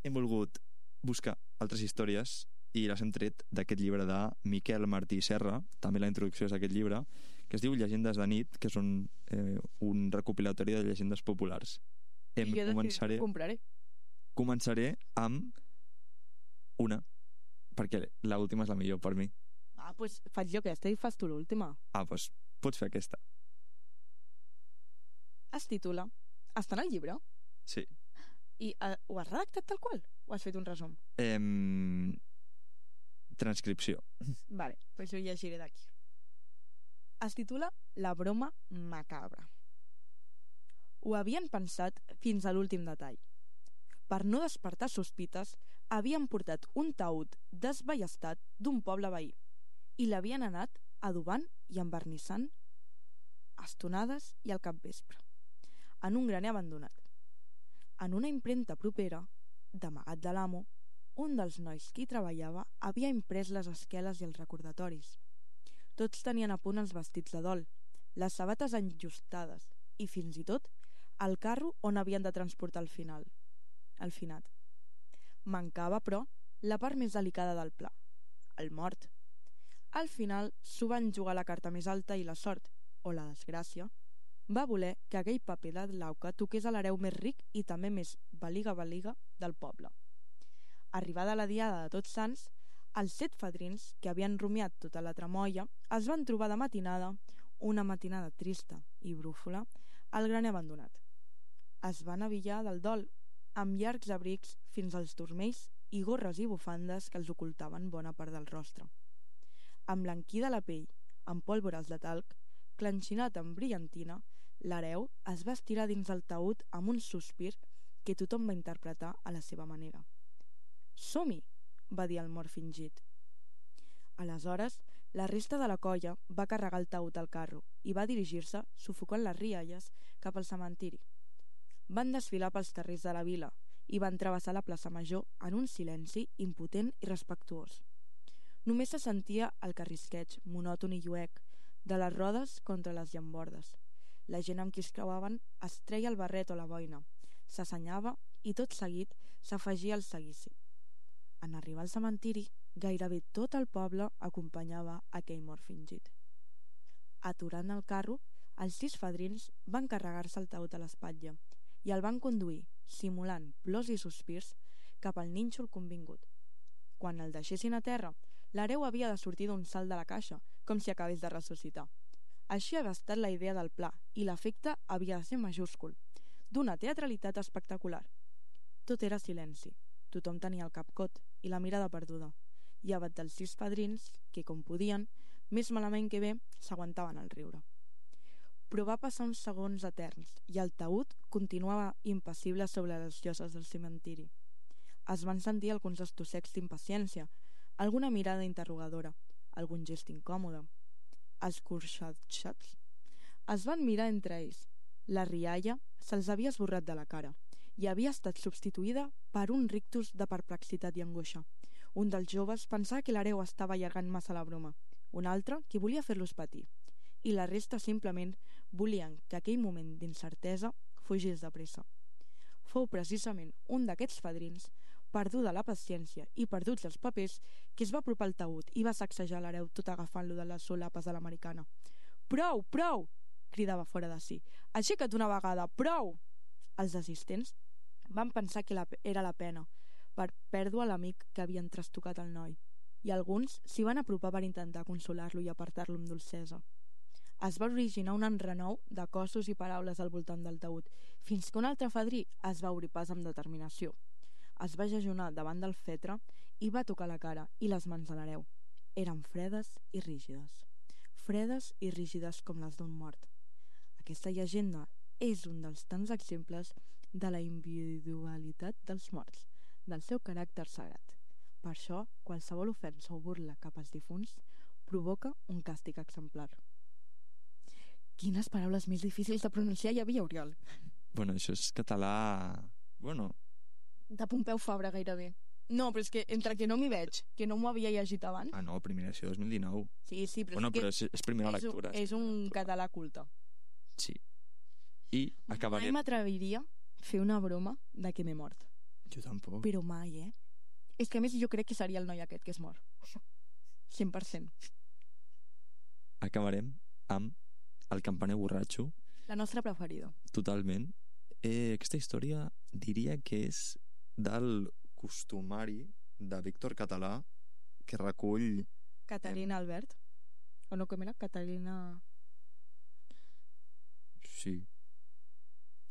hem volgut buscar altres històries i les hem tret d'aquest llibre de Miquel Martí Serra, també la introducció és d'aquest llibre, que es diu Llegendes de nit, que són eh, un recopilatori de llegendes populars. Em I jo començaré, compraré. començaré amb una, perquè l'última és la millor per mi. Ah, doncs pues faig jo aquesta i fas tu l'última. Ah, doncs pots fer aquesta. Es titula Està en el llibre? Sí. I uh, ho has redactat tal qual? O has fet un resum? Em... Transcripció. Vale, doncs ho llegiré d'aquí. Es titula La broma macabra. Ho havien pensat fins a l'últim detall. Per no despertar sospites, havien portat un taüt desballestat d'un poble veí i l'havien anat adobant i envernissant a estonades i al capvespre, en un graner abandonat. En una impremta propera, d'amagat de l'amo, un dels nois que hi treballava havia imprès les esqueles i els recordatoris. Tots tenien a punt els vestits de dol, les sabates enllustades i, fins i tot, el carro on havien de transportar el final, el finat. Mancava, però, la part més delicada del pla, el mort. Al final s'ho van jugar la carta més alta i la sort, o la desgràcia, va voler que aquell paper de l'auca toqués a l'hereu més ric i també més baliga-baliga del poble. Arribada la diada de Tots Sants, els set fadrins, que havien rumiat tota la tramoia, es van trobar de matinada, una matinada trista i brúfola, al graner abandonat. Es van avillar del dol, amb llargs abrics fins als turmells i gorres i bufandes que els ocultaven bona part del rostre. Emblanquida la pell, amb pólvores de talc, clenxinat amb brillantina, l'hereu es va estirar dins el taüt amb un sospir que tothom va interpretar a la seva manera. «Som-hi!», va dir el mort fingit. Aleshores, la resta de la colla va carregar el taüt al carro i va dirigir-se, sufocant les rialles, cap al cementiri. Van desfilar pels carrers de la vila i van travessar la plaça Major en un silenci impotent i respectuós. Només se sentia el carrisqueig, monòton i lluec, de les rodes contra les llambordes. La gent amb qui es creuaven es treia el barret o la boina, s'assenyava i tot seguit s'afegia al seguici. En arribar al cementiri, gairebé tot el poble acompanyava aquell mort fingit. Aturant el carro, els sis fadrins van carregar-se el taüt a l'espatlla i el van conduir, simulant plors i sospirs, cap al nínxol convingut. Quan el deixessin a terra, l'hereu havia de sortir d'un salt de la caixa, com si acabés de ressuscitar. Així havia estat la idea del pla, i l'efecte havia de ser majúscul, d'una teatralitat espectacular. Tot era silenci, tothom tenia el cap cot i la mirada perduda, llevat dels sis padrins que, com podien, més malament que bé, s'aguantaven el riure. Però va passar uns segons eterns i el taüt continuava impassible sobre les lloses del cementiri. Es van sentir alguns estossecs d'impaciència, alguna mirada interrogadora, algun gest incòmode. Els corxatxats es van mirar entre ells. La rialla se'ls havia esborrat de la cara i havia estat substituïda per un rictus de perplexitat i angoixa. Un dels joves pensava que l'hereu estava allargant massa la broma, un altre que volia fer-los patir, i la resta simplement volien que aquell moment d'incertesa fugís de pressa. Fou precisament un d'aquests fadrins, perduda la paciència i perduts els papers, que es va apropar al taüt i va sacsejar l'hereu tot agafant-lo de les solapes de l'americana. «Prou, prou!» cridava fora de si. «Aixeca't una vegada, prou!» Els assistents van pensar que la, era la pena per pèrdua l'amic que havien trastocat el noi, i alguns s'hi van apropar per intentar consolar-lo i apartar-lo amb dolcesa. Es va originar un enrenou de cossos i paraules al voltant del taüt, fins que un altre fadrí es va obrir pas amb determinació. Es va jejunar davant del fetre i va tocar la cara i les mans de l'hereu. Eren fredes i rígides. Fredes i rígides com les d'un mort. Aquesta llegenda és un dels tants exemples de la individualitat dels morts, del seu caràcter sagrat. Per això, qualsevol ofensa o burla cap als difunts provoca un càstig exemplar. Quines paraules més difícils de pronunciar hi havia, Oriol? Bueno, això és català... Bueno... De Pompeu Fabra, gairebé. No, però és que entre que no m'hi veig, que no m'ho havia llegit abans... Ah, no, primera edició dos mil dinou. Sí, sí, però bueno, és que... però és, és primera és lectura. Un, és un català culte. Sí. I acabaré... Mai m'atreviria a fer una broma de que m'he mort. Jo tampoc. Però mai, eh? És que a més jo crec que seria el noi aquest que es mor. cent per cent. Acabarem amb El campaner borratxo. La nostra preferida. Totalment. Eh, aquesta història diria que és del costumari de Víctor Català, que recull... Catalina Albert? O no, com era? Catalina... Sí.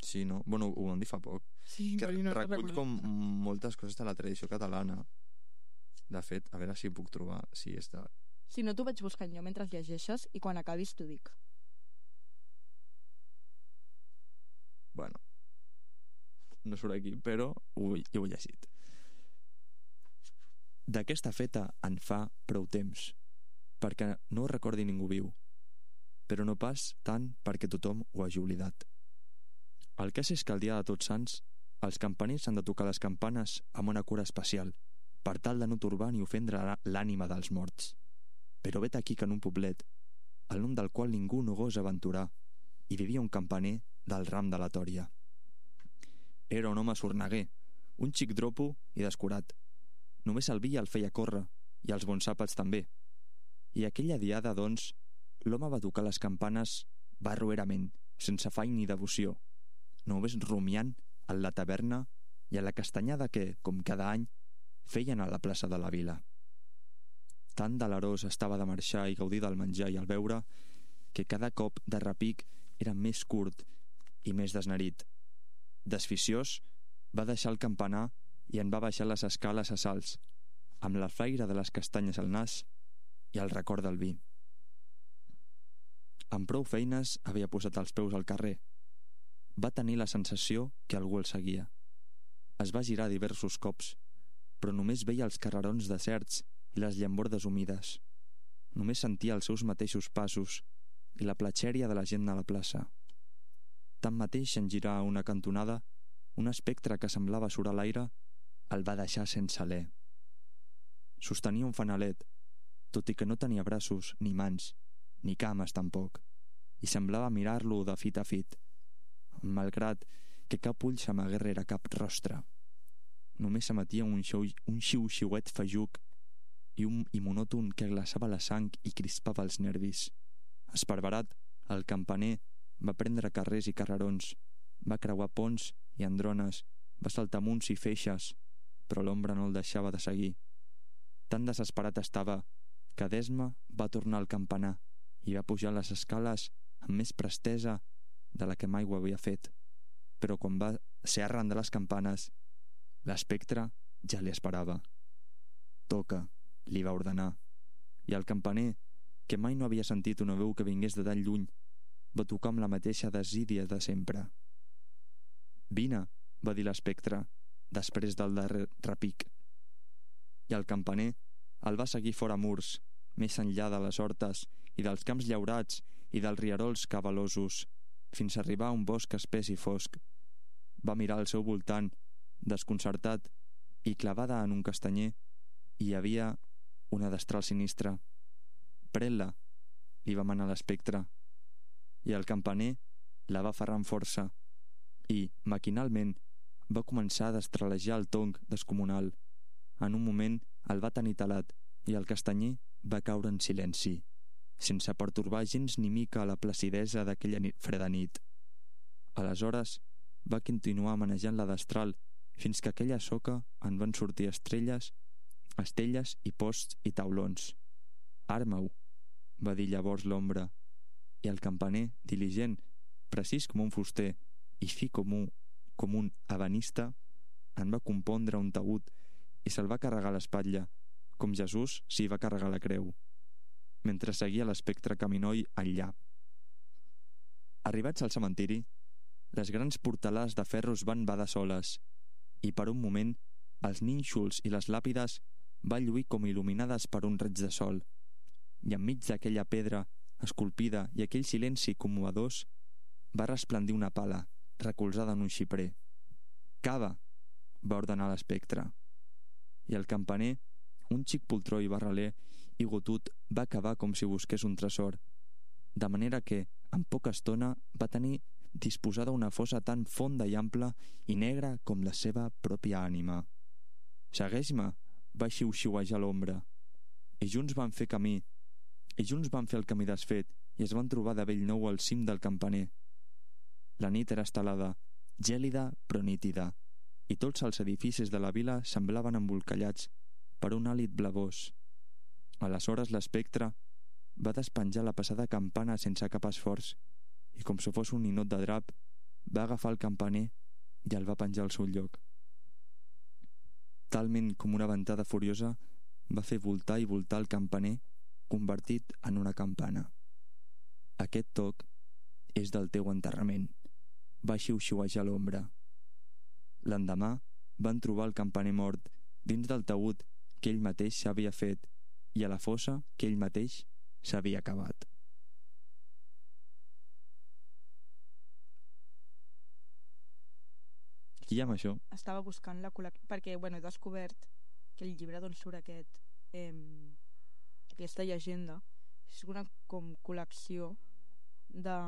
Sí, no? Bueno, ho vam dir fa poc. Sí, que no recull com moltes coses de la tradició catalana. De fet, a veure si puc trobar si és de... Si no, t'ho vaig buscant jo mentre llegeixes i quan acabis t'ho dic. Bueno, no surt aquí, però ho, jo ho he llegit. D'aquesta feta en fa prou temps, perquè no ho recordi ningú viu, però no pas tant perquè tothom ho hagi oblidat. El cas és que el dia de Tots Sants els campaners han de tocar les campanes amb una cura especial, per tal de no torbar ni ofendre l'ànima dels morts. Però vet aquí que en un poblet, el nom del qual ningú no gosa aventurar, hi vivia un campaner del ram de la Tòria. Era un home sorneguer, un xic dropo i descurat. Només el vi el feia córrer, i els bons àpats també. I aquella diada, doncs, l'home va tocar les campanes barroerament, sense afany ni devoció, només rumiant a la taverna i a la castanyada que, com cada any, feien a la plaça de la vila. Tan delerós estava de marxar i gaudir del menjar i el beure que cada cop de repic era més curt i més desnerit. Desficiós, va deixar el campanar i en va baixar les escales a salts, amb la flaire de les castanyes al nas i el record del vi. Amb prou feines havia posat els peus al carrer. Va tenir la sensació que algú el seguia. Es va girar diversos cops, però només veia els carrerons deserts i les llambordes humides. Només sentia els seus mateixos passos i la platxèria de la gent a la plaça. Tanmateix, en girar a una cantonada, un espectre que semblava surar l'aire el va deixar sense alè. Sostenia un fanalet, tot i que no tenia braços, ni mans, ni cames tampoc, i semblava mirar-lo de fit a fit, malgrat que cap ull s'amagués rere cap rostre. Només s'emetia un, un xiu-xiuet fajuc i un i monòton que glaçava la sang i crispava els nervis. Esparverat, el campaner va prendre carrers i carrerons, va creuar ponts i andrones, va saltar munts i feixes, però l'ombra no el deixava de seguir. Tan desesperat estava que d'esma va tornar al campanar i va pujar les escales amb més prestesa de la que mai ho havia fet. Però quan va ser arran de les campanes, l'espectre ja li esperava. «Toca», li va ordenar, i el campaner, que mai no havia sentit una veu que vingués de tan lluny, va tocar amb la mateixa desídia de sempre. «Vine», va dir l'espectre, després del darrer repic. I el campaner el va seguir fora murs, més enllà de les hortes i dels camps llaurats i dels rierols cabalosos, fins a arribar a un bosc espès i fosc. Va mirar al seu voltant, desconcertat, i clavada en un castanyer hi havia una destral sinistra. «Pren-la», li va manar l'espectre, i el campaner la va aferrar amb força i, maquinalment, va començar a destralejar el tonc descomunal. En un moment el va tenir talat i el castanyer va caure en silenci, sense pertorbar gens ni mica la placidesa d'aquella nit, freda nit. Aleshores va continuar manejant la destral fins que aquella soca en van sortir estrelles, estelles i posts i taulons. «Arma-ho», va dir llavors l'ombra, i el campaner, diligent, precís com un fuster i fi com un, com un ebenista, en va compondre un taüt i se'l va carregar a l'espatlla, com Jesús s'hi va carregar la creu, mentre seguia l'espectre caminoi enllà. Arribats al cementiri, les grans portalars de ferro es van badar soles, i per un moment els nínxols i les làpides van lluir com il·luminades per un raig de sol, i enmig d'aquella pedra esculpida i aquell silenci commovedors va resplendir una pala recolzada en un xiprer. «Cava!», va ordenar l'espectre. I el campaner, un xic poltró i barraler i gotut, va cavar com si busqués un tresor, de manera que, en poca estona, va tenir disposada una fossa tan fonda i ampla i negra com la seva pròpia ànima. «Segueix-me!», va xiu-xiuejar l'ombra. I junts van fer camí, i junts van fer el camí desfet i es van trobar de bell nou al cim del campaner. La nit era estelada, gèlida però nítida, i tots els edificis de la vila semblaven embolcallats per un hàlit blavós. Aleshores l'espectre va despenjar la passada campana sense cap esforç i, com si fos un ninot de drap, va agafar el campaner i el va penjar al seu lloc. Talment com una ventada furiosa, va fer voltar i voltar el campaner convertit en una campana. «Aquest toc és del teu enterrament», va xiu-xiuejar l'ombra. L'endemà van trobar el campaner mort dins del taüt que ell mateix s'havia fet i a la fossa que ell mateix s'havia cavat. I amb això? Estava buscant la col·lecció, perquè bueno, he descobert que el llibre d'on surt aquest, eh, aquesta llegenda és una com col·lecció de,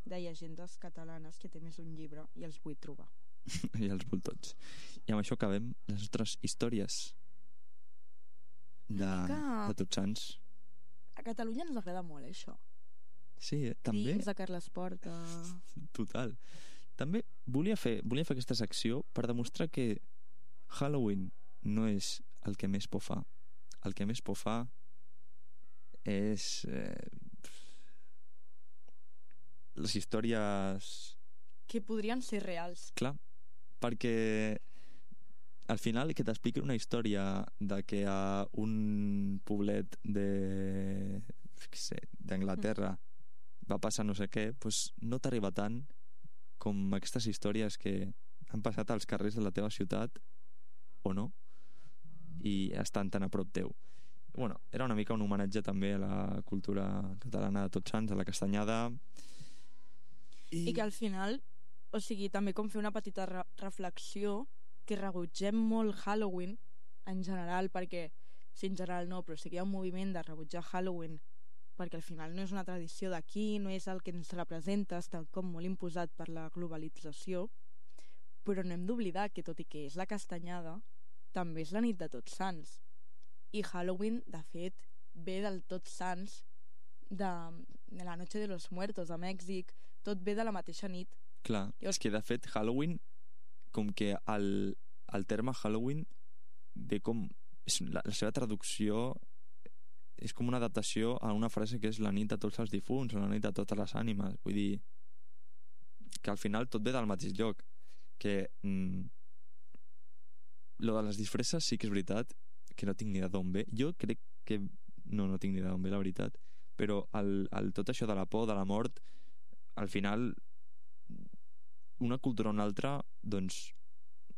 de llegendes catalanes que té més un llibre i els vull trobar. I els vull tots. I amb això acabem les nostres històries de, que... de Tots Sants. A Catalunya ens agrada molt això. Sí, eh? També. Dins de Carles Porta. Total. També volia fer, volia fer aquesta secció per demostrar que Halloween no és el que més por fa. El que més por fa és eh, les històries que podrien ser reals. Clar, perquè al final que t'expliqui una història de que a un poblet de sé, d'Anglaterra mm. va passar no sé què, doncs no t'arriba tant com aquestes històries que han passat als carrers de la teva ciutat o no, i estan tan a prop teu. Bueno, era una mica un homenatge també a la cultura catalana de Tots Sants, a la castanyada. I, I que al final, o sigui, també com fer una petita re reflexió que rebutgem molt Halloween en general, perquè, sí, en general no, però sí que hi ha un moviment de rebutjar Halloween perquè al final no és una tradició d'aquí, no és el que ens representa, està com molt imposat per la globalització, però no hem d'oblidar que tot i que és la castanyada, també és la nit de Tots Sants. I Halloween, de fet, ve del Tots Sants, de, de la Noche de los Muertos, a Mèxic, tot ve de la mateixa nit. Clar, és que de fet Halloween, com que el, el terme Halloween ve com... La, la seva traducció és com una adaptació a una frase que és la nit de tots els difunts o la nit de totes les ànimes. Vull dir que al final tot ve del mateix lloc, que mm, lo de les disfresses sí que és veritat que no tinc ni idea d'on ve. Jo crec que no, no tinc ni idea d'on ve, la veritat, però el, el, tot això de la por, de la mort, al final una cultura o una altra, doncs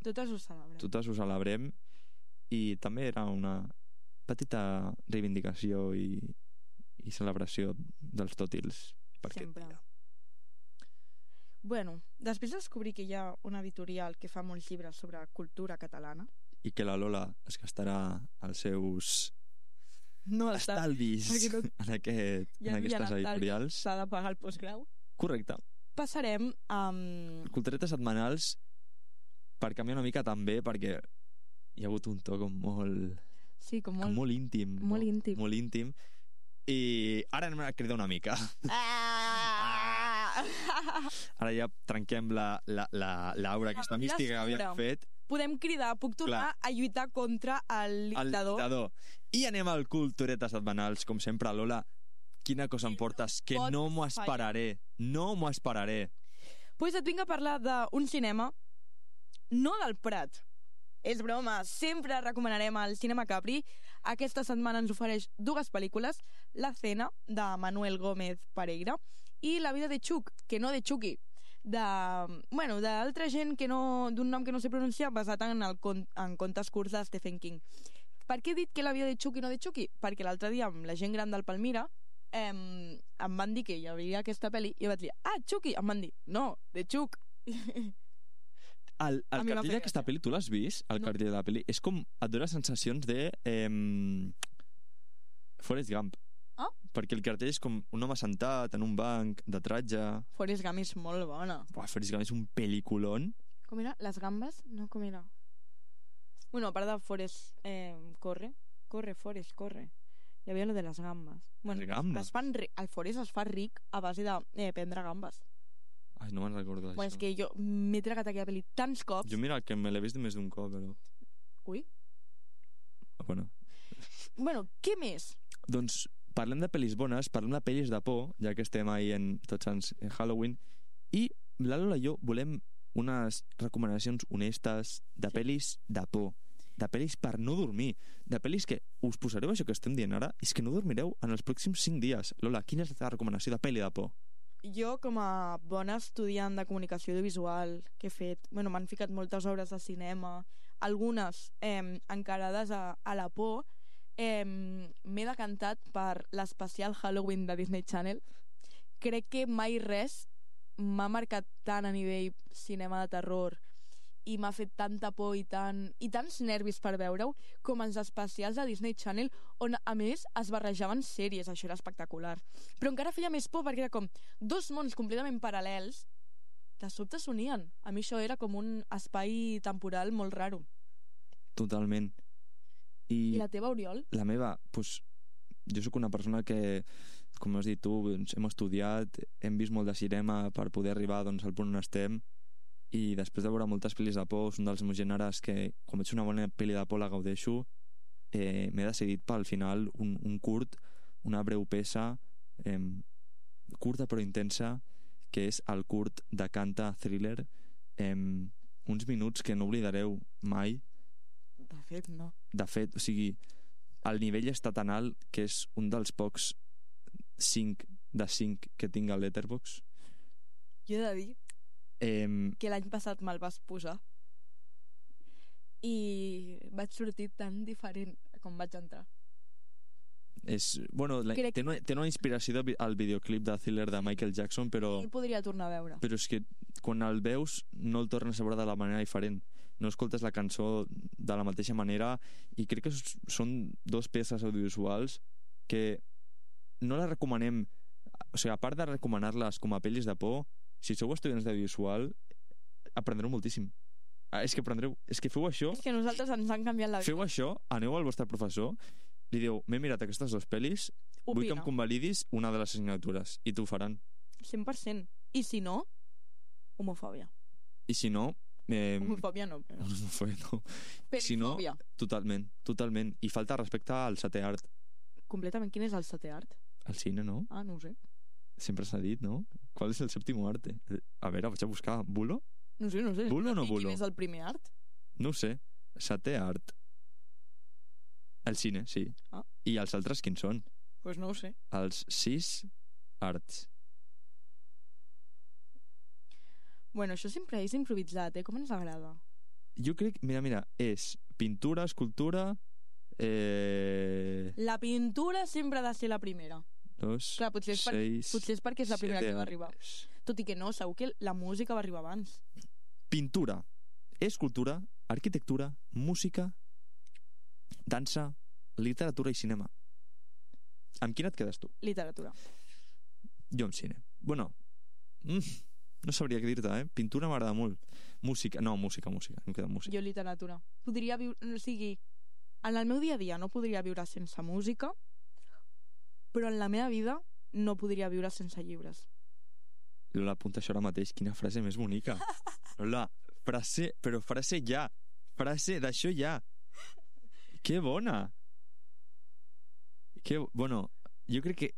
totes ho celebrem, totes ho celebrem i també era una petita reivindicació i, i celebració dels tòtils per sempre. Aquest dia. Bueno, després de descobrir que hi ha una editorial que fa molts llibres sobre cultura catalana i que la Lola es gastarà els seus no estalvis no... en, aquest, ja en aquestes editorials, s'ha de pagar el postgrau. Correcte. Passarem amb... Culturetes setmanals per canviar una mica també, perquè hi ha hagut un to com molt... Sí, com molt... Com molt íntim. Molt no? íntim. Molt íntim. I ara anem a cridar una mica. Ah! Ara ja trenquem la, la, la, l'aura, aquesta mística que havíem fet. Podem cridar, puc tornar Clar. a lluitar contra el dictador. El dictador. I anem al Culturetes setmanals, com sempre. Lola, quina cosa em portes? Que pot no m'ho esperaré. No m'ho esperaré. Pues et vinc a parlar d'un cinema, no del Prat. És broma, sempre recomanarem el Cinema Capri. Aquesta setmana ens ofereix dues pel·lícules, La cena, de Manuel Gómez Pereira, i La vida de Chuck, que no de Chucky, de, bueno, d'altra gent que no, d'un nom que no sé pronunciar, basat en, el, en contes curts de Stephen King. Per què he dit que La vida de Chuck i no de Chucky? Perquè l'altre dia amb la gent gran del Palmira eh, em van dir que hi havia aquesta pel·li i vaig dir, ah, Chucky! Em van dir, no, de Chuck. El, el cartell d'aquesta pel·li, tu l'has vist? El No. cartell de la pel·li és com, et dona sensacions de eh, Forrest Gump. Ah? Perquè el cartell és com un home sentat en un banc de tratge. Forrest Gump és molt bona. Buah, Forrest Gump és un pel·liculón. Com era? Les gambes? No, com era? Bueno, a part de Forrest eh, corre. Corre, Forrest, corre. Hi havia lo de les gambes. Bueno, Les gambes? Es fan ri- el Forrest es fa ric a base de eh, prendre gambes. Ai, no me'n recordo d'això. Bueno, és que jo m'he tragat aquella pel·li tants cops. Jo mira que me l'he vist més d'un cop, però... Ui. Bueno. Bueno, què més? Doncs parlem de pel·lis bones, parlem de pel·lis de por, ja que estem ahí en Tots Sants en Halloween, i la Lola i jo volem unes recomanacions honestes de pel·lis de por, de pel·lis per no dormir, de pel·lis que us posareu això que estem dient ara, és que no dormireu en els pròxims cinc dies. Lola, quina és la teva recomanació de pel·li de por? Jo, com a bona estudiant de comunicació audiovisual que he fet, bueno, m'han ficat moltes obres de cinema, algunes eh, encarades a, a la por, eh, m'he decantat per l'especial Halloween de Disney Channel. Crec que mai res m'ha marcat tant a nivell cinema de terror i m'ha fet tanta por i, tant, i tants nervis per veure-ho com els especials de Disney Channel, on a més es barrejaven sèries. Això era espectacular, però encara feia més por perquè era com dos mons completament paral·lels de sobte s'unien. A mi això era com un espai temporal molt raro. Totalment. I, I la teva, Oriol? la meva, doncs, jo sóc una persona que, com has dit tu, doncs, hem estudiat, hem vist molt de cinema per poder arribar doncs, al punt on estem, i després de veure moltes pel·lis de por, és un dels meus gèneres que, quan veig una bona pel·li de por la gaudeixo, eh, m'he decidit pel final un, un curt, una breu peça, eh, curta però intensa, que és el curt de Canta Thriller, eh, uns minuts que no oblidareu mai. De fet, no. De fet, o sigui, el nivell està tan alt que és un dels pocs cinc de cinc que tinc al Letterboxd. Jo he de dir Eh, que l'any passat me'l vas posar i vaig sortir tan diferent com vaig entrar. és, bueno, la, Crec- té, una, té una inspiració de, al videoclip de Thriller de Michael Jackson, però, I podria tornar a veure. però és que quan el veus no el tornes a veure de la manera diferent, no escoltes la cançó de la mateixa manera, i crec que s- són dos peces audiovisuals que no les recomanem, o sigui, a part de recomanar-les com a pel·lis de por, si sou estudiants d'audiovisual aprendreu moltíssim. Ah, és que aprendreu, és que feu això, És que a nosaltres ens han canviat la vida. feu això, aneu al vostre professor, li diu, m'he mirat aquestes dues pel·lis, vull que em Opina, convalidis una de les assignatures, i t'ho faran. cent per cent. I si no, homofòbia. I si no, eh, Homofòbia no, però... homofòbia no. Si no, Perifòbia. totalment, totalment. I falta respecte al setè art, Completament. Quin és el setè art? al cine, no? Ah, no ho sé. Sempre s'ha dit, no? Qual és el sèptimo arte? A veure, vaig a buscar. Bulo? No sé, no sé. Bulo o no I bulo? Quin és el primer art? No ho sé. Setè art. El cine, sí. Ah. I els altres quins són? Doncs pues no ho sé. Els sis arts. Bueno, això sempre és improvisat, eh? Com ens agrada. Jo crec, mira, mira, és pintura, escultura, eh... La pintura sempre ha de ser la primera. dos, Clar, potser és, per, seis, potser és perquè és la primera siete que va arribar. arts. Tot i que no, segur que la música va arribar abans. Pintura, escultura, arquitectura, música, dansa, literatura i cinema. Amb quina et quedes tu? Literatura. Jo amb cine. Bueno, mm, no sabria què dir-te, eh? Pintura m'agrada molt. Música, no, música, música. Em queda música. Jo literatura. Podria viure... O sigui, en el meu dia a dia no podria viure sense música, però en la meva vida no podria viure sense llibres. Lola, apunta això ara mateix. Quina frase més bonica. Lola, frase... Però frase ja. Frase d'això ja. Que bona. Que... Bueno, jo crec que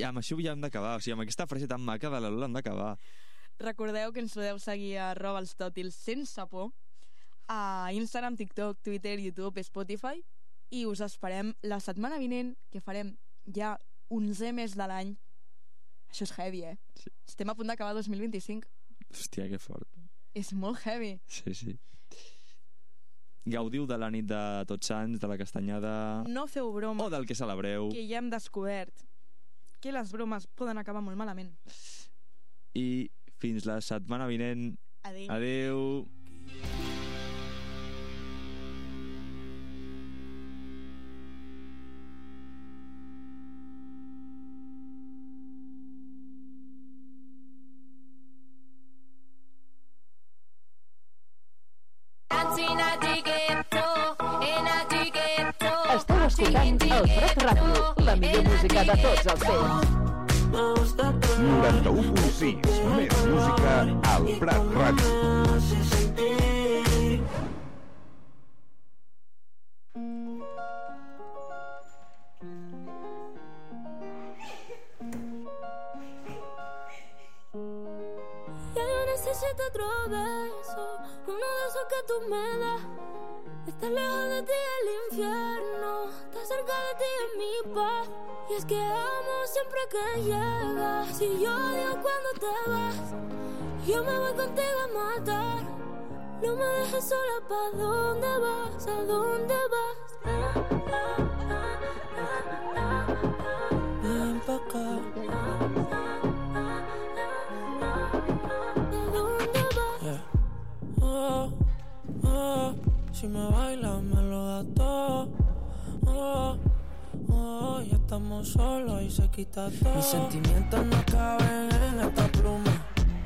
amb això ja hem d'acabar. O sigui, amb aquesta frase tan maca de la Lola hem d'acabar. Recordeu que ens podeu seguir a arroba els tòtils sense por a Instagram, TikTok, Twitter, YouTube, Spotify, i us esperem la setmana vinent, que farem ja onzè mes de l'any. Això és heavy, eh? Sí. Estem a punt d'acabar dos mil vint-i-cinc. Hòstia, que fort. És molt heavy. Sí, sí. Gaudiu de la nit de Tots Sants, de la castanyada... No feu broma. O del que celebreu. Que ja hem descobert que les bromes poden acabar molt malament. I fins la setmana vinent. Adéu. Adéu. Esteu escoltant el Prat Ràdio, la millor música de tots els temps. noranta-u punt sis, més música al Prat Ràdio. Ya yo necesito otro beso, uno de esos que tú me das. Estar lejos de ti es el infierno, estar cerca de ti es mi paz. Y es que amo siempre que llegas. Si yo odio cuando te vas, yo me voy contigo a matar. No me dejes sola, ¿pa' dónde vas? ¿A dónde vas? Ven pa' acá. ¿A dónde vas? Yeah. Oh, oh. Si me bailas me lo das todo. Oh, oh, ya estamos solos y se quita todo. Mis sentimientos no caben en esta pluma.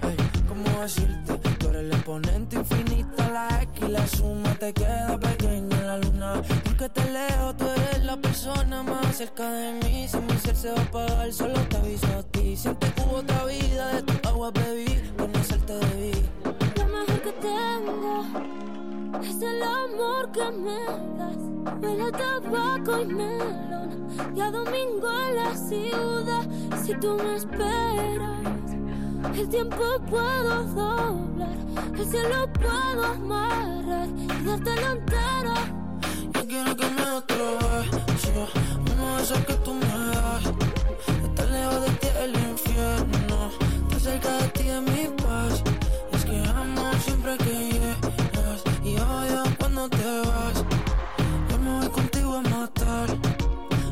Hey, ¿cómo decirte? Tú eres el exponente infinito, la X y la suma te queda pequeña en la luna. Porque te leo, tú eres la persona más cerca de mí. Si mi ser se va a apagar, solo te aviso a ti. Siente que hubo otra vida, de tu agua bebí, conocerte debí. Lo mejor que tengo es el amor que me das. Huele a tabaco y melón, y a domingo en la ciudad. Si tú me esperas, el tiempo puedo doblar, el cielo puedo amarrar y dártelo entero. Yo quiero que me otro beso, uno de esos que tú me das. Estar lejos de ti es el infierno, estar cerca de ti es mi paz. Y es que amo siempre que llegas y odio cuando te vas. Yo me voy contigo a matar.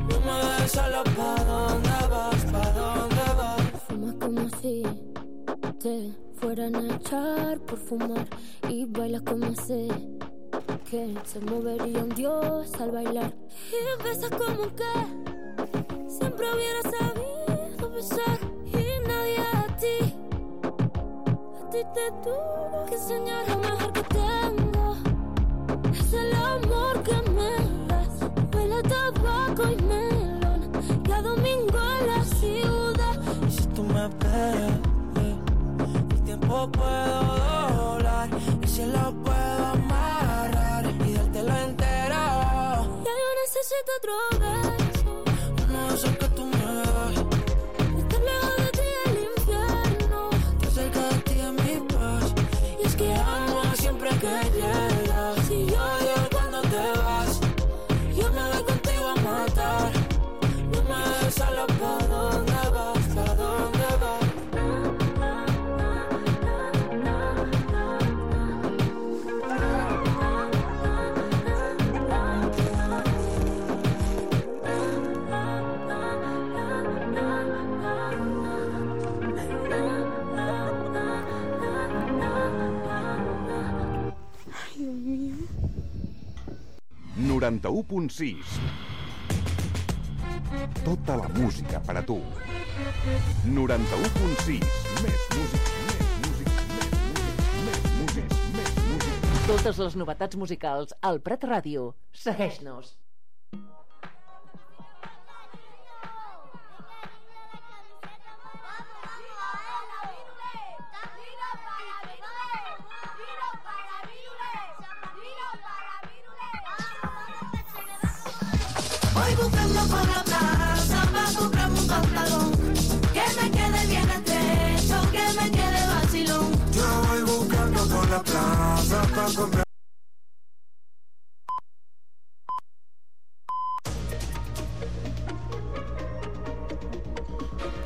No me dejes sola, ¿pa' dónde vas? ¿Pa' dónde vas? Fumas como si te fueran a echar por fumar, y bailas como sé que se movería un dios al bailar. Y besas como que siempre hubiera sabido besar, y nadie a ti, a ti te tuvo que enseñar. Lo mejor que tengo es el amor que me das. Huele a tabaco y melón, y a domingo en la ciudad. Y si tú me esperas, el tiempo puedo doblar, el cielo puedo amarrar y dártelo entero. Ya yo necesito otro beso, uno de esos que tú me das. estar lejos de ti es el infierno, Estar cerca de ti es mi paz. Y es que amo siempre que llegas. Si yo odio cuando te vas, yo me voy contigo a matar. No me dejes sola, ¿pa' dónde vas? ¿Pa' dónde vas? noranta-u punt sis. Tota la música per a tu. noranta-u punt sis. Més música, més música. Totes les novetats musicals al Prat Ràdio. Segueix-nos. Voy buscando por la plaza para comprarme un pantalón que me quede bien estrecho, que me quede vacilón. Yo voy buscando por la plaza para comprar.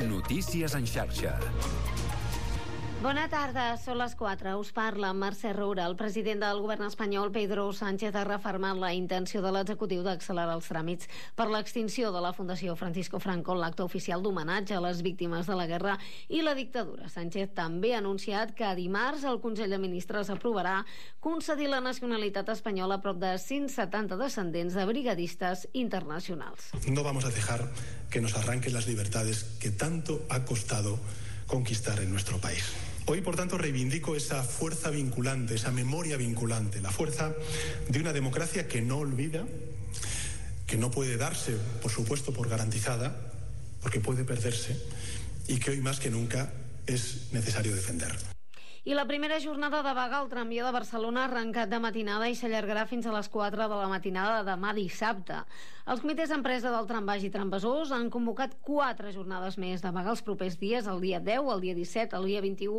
Notícies en xarxa. Bona tarda, són les quatre. Us parla Mercè Roura. El president del govern espanyol, Pedro Sánchez, ha refermat la intenció de l'executiu d'accelerar els tràmits per l'extinció de la Fundació Francisco Franco en l'acte oficial d'homenatge a les víctimes de la guerra i la dictadura. Sánchez també ha anunciat que dimarts el Consell de Ministres aprovarà concedir la nacionalitat espanyola a prop de cent setanta descendents de brigadistes internacionals. No vamos a dejar que nos arranquen las libertades que tanto ha costado conquistar en nuestro país. Hoy, por tanto, reivindico esa fuerza vinculante, esa memoria vinculante, la fuerza de una democracia que no olvida, que no puede darse, por supuesto, por garantizada, porque puede perderse, y que hoy más que nunca es necesario defender. I la primera jornada de vaga al tramvia de Barcelona ha arrencat de matinada i s'allargarà fins a les quatre de la matinada de demà dissabte. Els comitès d'empresa del trambaix i tramvasors han convocat quatre jornades més de vaga els propers dies, el dia deu, el dia disset, el dia vint-i-u